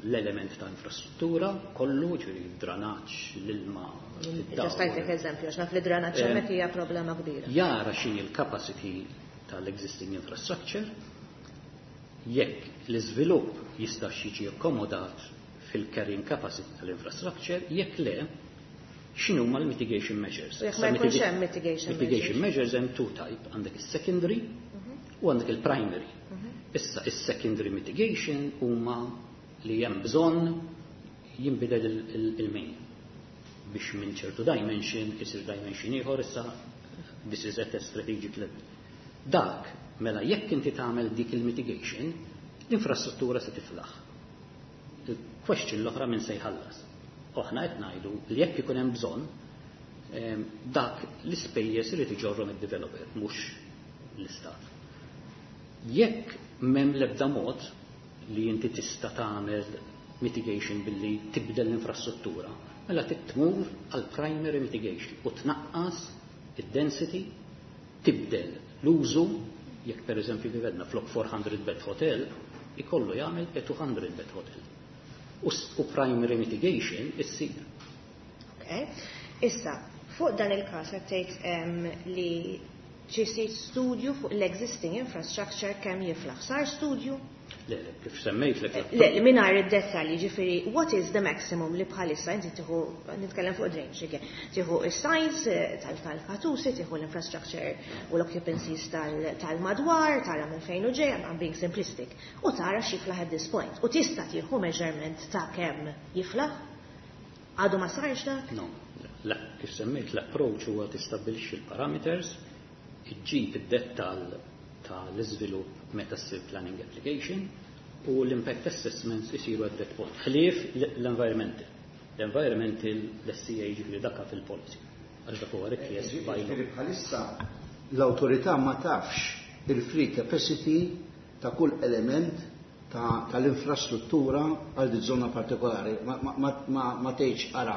l-element ta' infrastruttura kollu, ġifieri dranaġġ, l-ilma, id-dawl. Just tajtek eżempju, għax naf li dranaġġ Em, hemmhekk hija problema kbira. Jara x'inhi l-capacity tal-existing infrastructure, jekk l-iżvilupp jista' jiġi akkomodat fil-carrying capacity tal-infrastructure, jekk le, x'inhuma l-mitigation measures. U jekk Issa ma jkunx mitiga- hemm mitigation mitigation measures hemm two type, għandek is-secondary u għandek il-primary. Issa, is-secondary mitigation huma li hemm bżonn jinbidel il- il- il-main biex minn ċertu dimension isir dimension ieħor. Issa this is at a strategic level. Dak, mela jekk inti tagħmel dik il-mitigation, l-infrastruttura se tiflaħ. Il-question l-oħra, minn se jħallas? U aħna qed ngħidu li jekk ikun hemm bżonn, em, dak l-ispejjeż irid iġorrhom id-developer, mhux l-istat. Jekk m'hemm l-ebda mod li inti tista' tagħmel mitigation billi tibdel l-infrastruttura, mela trid tmur għal primary mitigation u tnaqqas id-density, tibdel l-użu, jekk per eżempju kif għedna flok four hundred bed hotel, ikollu jagħmel a two hundred bed hotel. U, s- u primary mitigation issir. Okay. Issa, fuq dan il-każ qed tgħid em, li ġisir studju fuq l-existing infrastructure kemm jiflaħ. Sar studju? Le, le, kif semmejt lek. Le, li mingħajr id-dettalji, ġifieri, what is the maximum li bħalissa inti tieħu, nitkellem fuq drainage, again, tieħu is-size eh, tal-katusi, tieħu l-infrastructure u l-occupancies tal- tal-madwar, tara minn fejn u ġej, I'm being simplistic, u tara x'jiflaħ at this point. U tista' tieħu measurement ta' kemm jiflaħ? Għadu ma sarx dak? No, Kif semmejt, l-approach huwa tistabbilixxi l-parameters, iġġib id-dettall tal-iżvilupp meta ssir planning application u l-impact assessments isiru at that point. Ħlief l-environmental. L-environmental l-S E A, ġifieri dakka fil-policy. Għax dak huwa rikjest by law. Ġifieri bħalissa l-awtorità ma tafx il-free capacity ta' kull element tal-infrastruttura għal di zona partikolari. Ma, ma, ma, ma tgħidx ara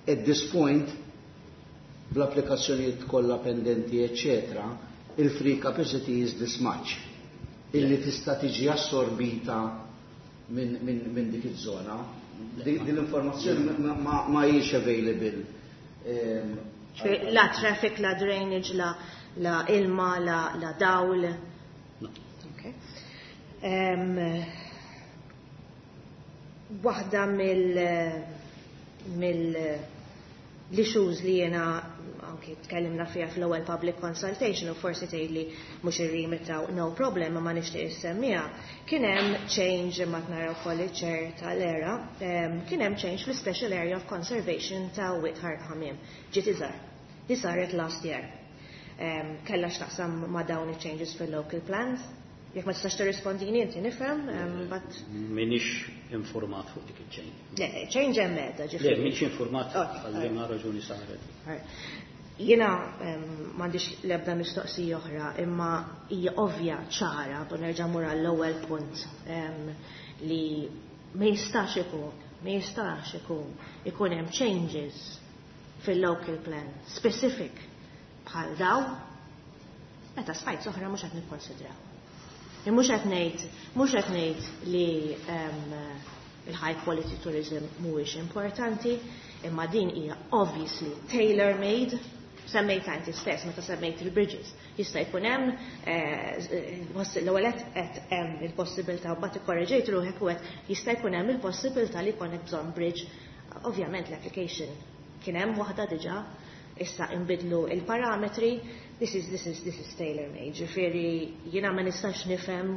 at this point bl-applikazzjonijiet kollha pendenti, eccetera, il-free capacity is this much illi tista' tiġi assorbita minn min, min dik iż-żona. Din l-informazzjoni ma, ma, ma hijiex available. Ehm, La traffic, la drainage, la, la ilma, la, la dawl. No. Okay. Um, waħda mill mill l-issues li jena anki tkellimna fiha fl-ewwel public consultation, u forsi tgħidli mhux ir-remit, no problem, ma nixtieq issemmiha, kien hemm change, imma nara wkoll iċ-chair tal-ERA, kien hemm change fl-Special Area of Conservation ta' Wied Ħarq Ħamiem. Ġiet iżgħar. Di saret last year. Kellha x'taqsam ma' dawn il-changes fil-local plans? Jekk ma tistax tirrispondini inti, nifhem, but Minix informat fuq dik il-change. Le, change hemm medda, Le, ġifieri. minix informat Ok, għal ma raġuni saret. Alright. Jiena m'għandix l-ebda mistoqsija oħra, imma hija ovvja ċara, bu nerġa' mur għall-ewwel punt, em, li ma jistax ikun, ma jistax ikun ikun hemm changes fil-local plan specific bħal daw meta sites oħra mhux qed nikkonsidraw. Mhux qed ngħid, mhux qed ngħid li em, il-high quality tourism mhuwiex importanti, imma din hija obviously tailor-made. Semmejt inti stess meta semmejt il-bridges. Jista' jkun hemm eh, l-ewwel qed hemm il-possibilità u mbagħad ikkorreġejt ruħek u qed jista' jkun hemm il-possibilità li jkollek bżonn bridge. Ovvjament l-application kien hemm waħda diġà, issa inbidlu il-parametri, this is, this is, this is tailor-made. Ġifieri jiena ma nistax nifhem,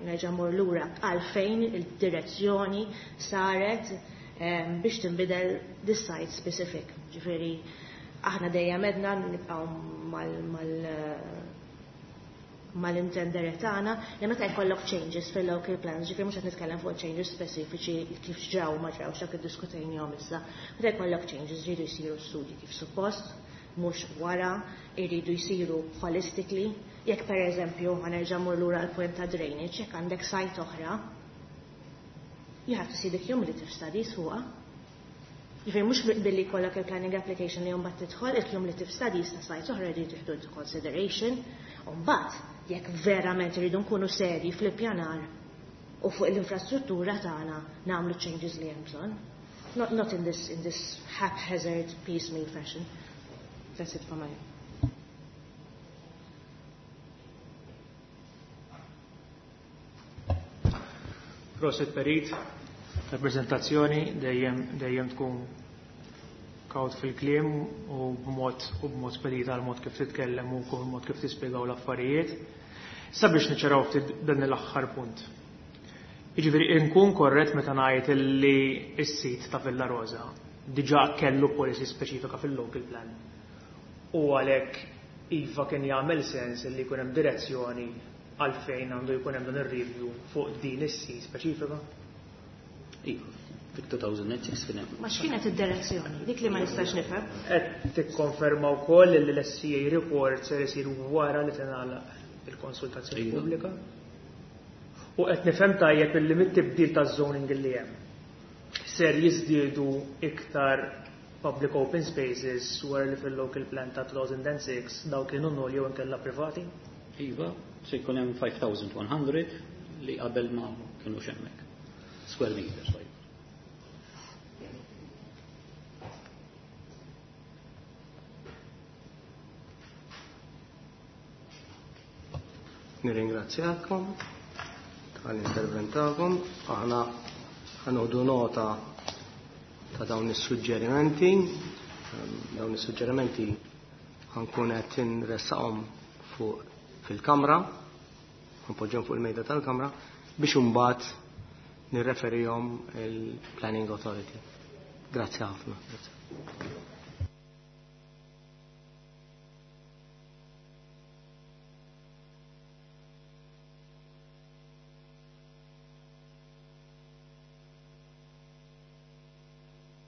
nerġa' mur lura, għalfejn il-direzzjoni saret em, biex tinbidel this site specific. Ġifieri aħna dejjem edna nibqgħu mal, mal mal-intendere tagħna li meta jkollok changes fil-local plans, ġifieri mhux qed nitkellem fuq changes speċifiċi kif ġraw ma ġraw dak iddiskutejnihom issa. Meta jkollok changes jridu jsiru studji kif suppost, mhux wara, jridu jsiru holistically. Jekk per eżempju ħa nerġa' mur lura l-point ta' drainage, jekk għandek site oħra, you have to see the cumulative studies fuqha. Ġifieri mhux billi jkollok il-planning application li mbagħad tidħol, il-cumulative studies ta' sites oħra jridu jieħdu into consideration, u mbagħad jekk verament irridu nkunu serji fl-ippjanar u fuq l-infrastruttura tagħna nagħmlu changes li hemm bżonn. Not, not in this, in this haphazard, piecemeal fashion. That's it for my. Prosit Perit, rappresentazzjoni dejjem dejjem tkun kawt fil-kliem u b'mod u b'mod spedita għal mod kif titkellem u kull mod kif tispjegaw l-affarijiet. Sabiex niċċaraw ftit dan l-aħħar punt. Jiġifieri inkun korrett meta ngħid li s-sit ta' Villa Rosa diġà kellu policy speċifika fil-local plan. U għalhekk iva kien jagħmel sens li jkun hemm direzzjoni għalfejn għandu jkun hemm dan ir-review fuq din is-sit speċifika? Iva, fil-elfejn u sitta kien hemm. Ma x'kienet id-direzzjoni? Dik li ma nistax nifhem. Qed tikkonferma wkoll li l-S E A report ser isir wara li tingħalaq il-konsultazzjoni Iva. pubblika. U qed nifhem tajjeb illi mit-tibdil taż-zoning li hemm ser jiżdiedu iktar public open spaces wara li fil-local plan ta' elfejn u sitta daw kienu null jew inkella privati? Iva, se jkun hemm ħamsa elef u mitt li qabel ma kienu hemmhekk. Square meters. Right. Nirringrazzjakom tal-intervent tagħkom. Aħna ħa nieħdu nota ta' dawn is-suġġerimenti. Ehm, dawn is-suġġerimenti ħa nkun qed inressaqhom fuq fil-kamra, npoġġhom fuq il-mejda tal-kamra biex imbagħad nirreferihom il-Planning Authority. Grazzi ħafna. Grazzi.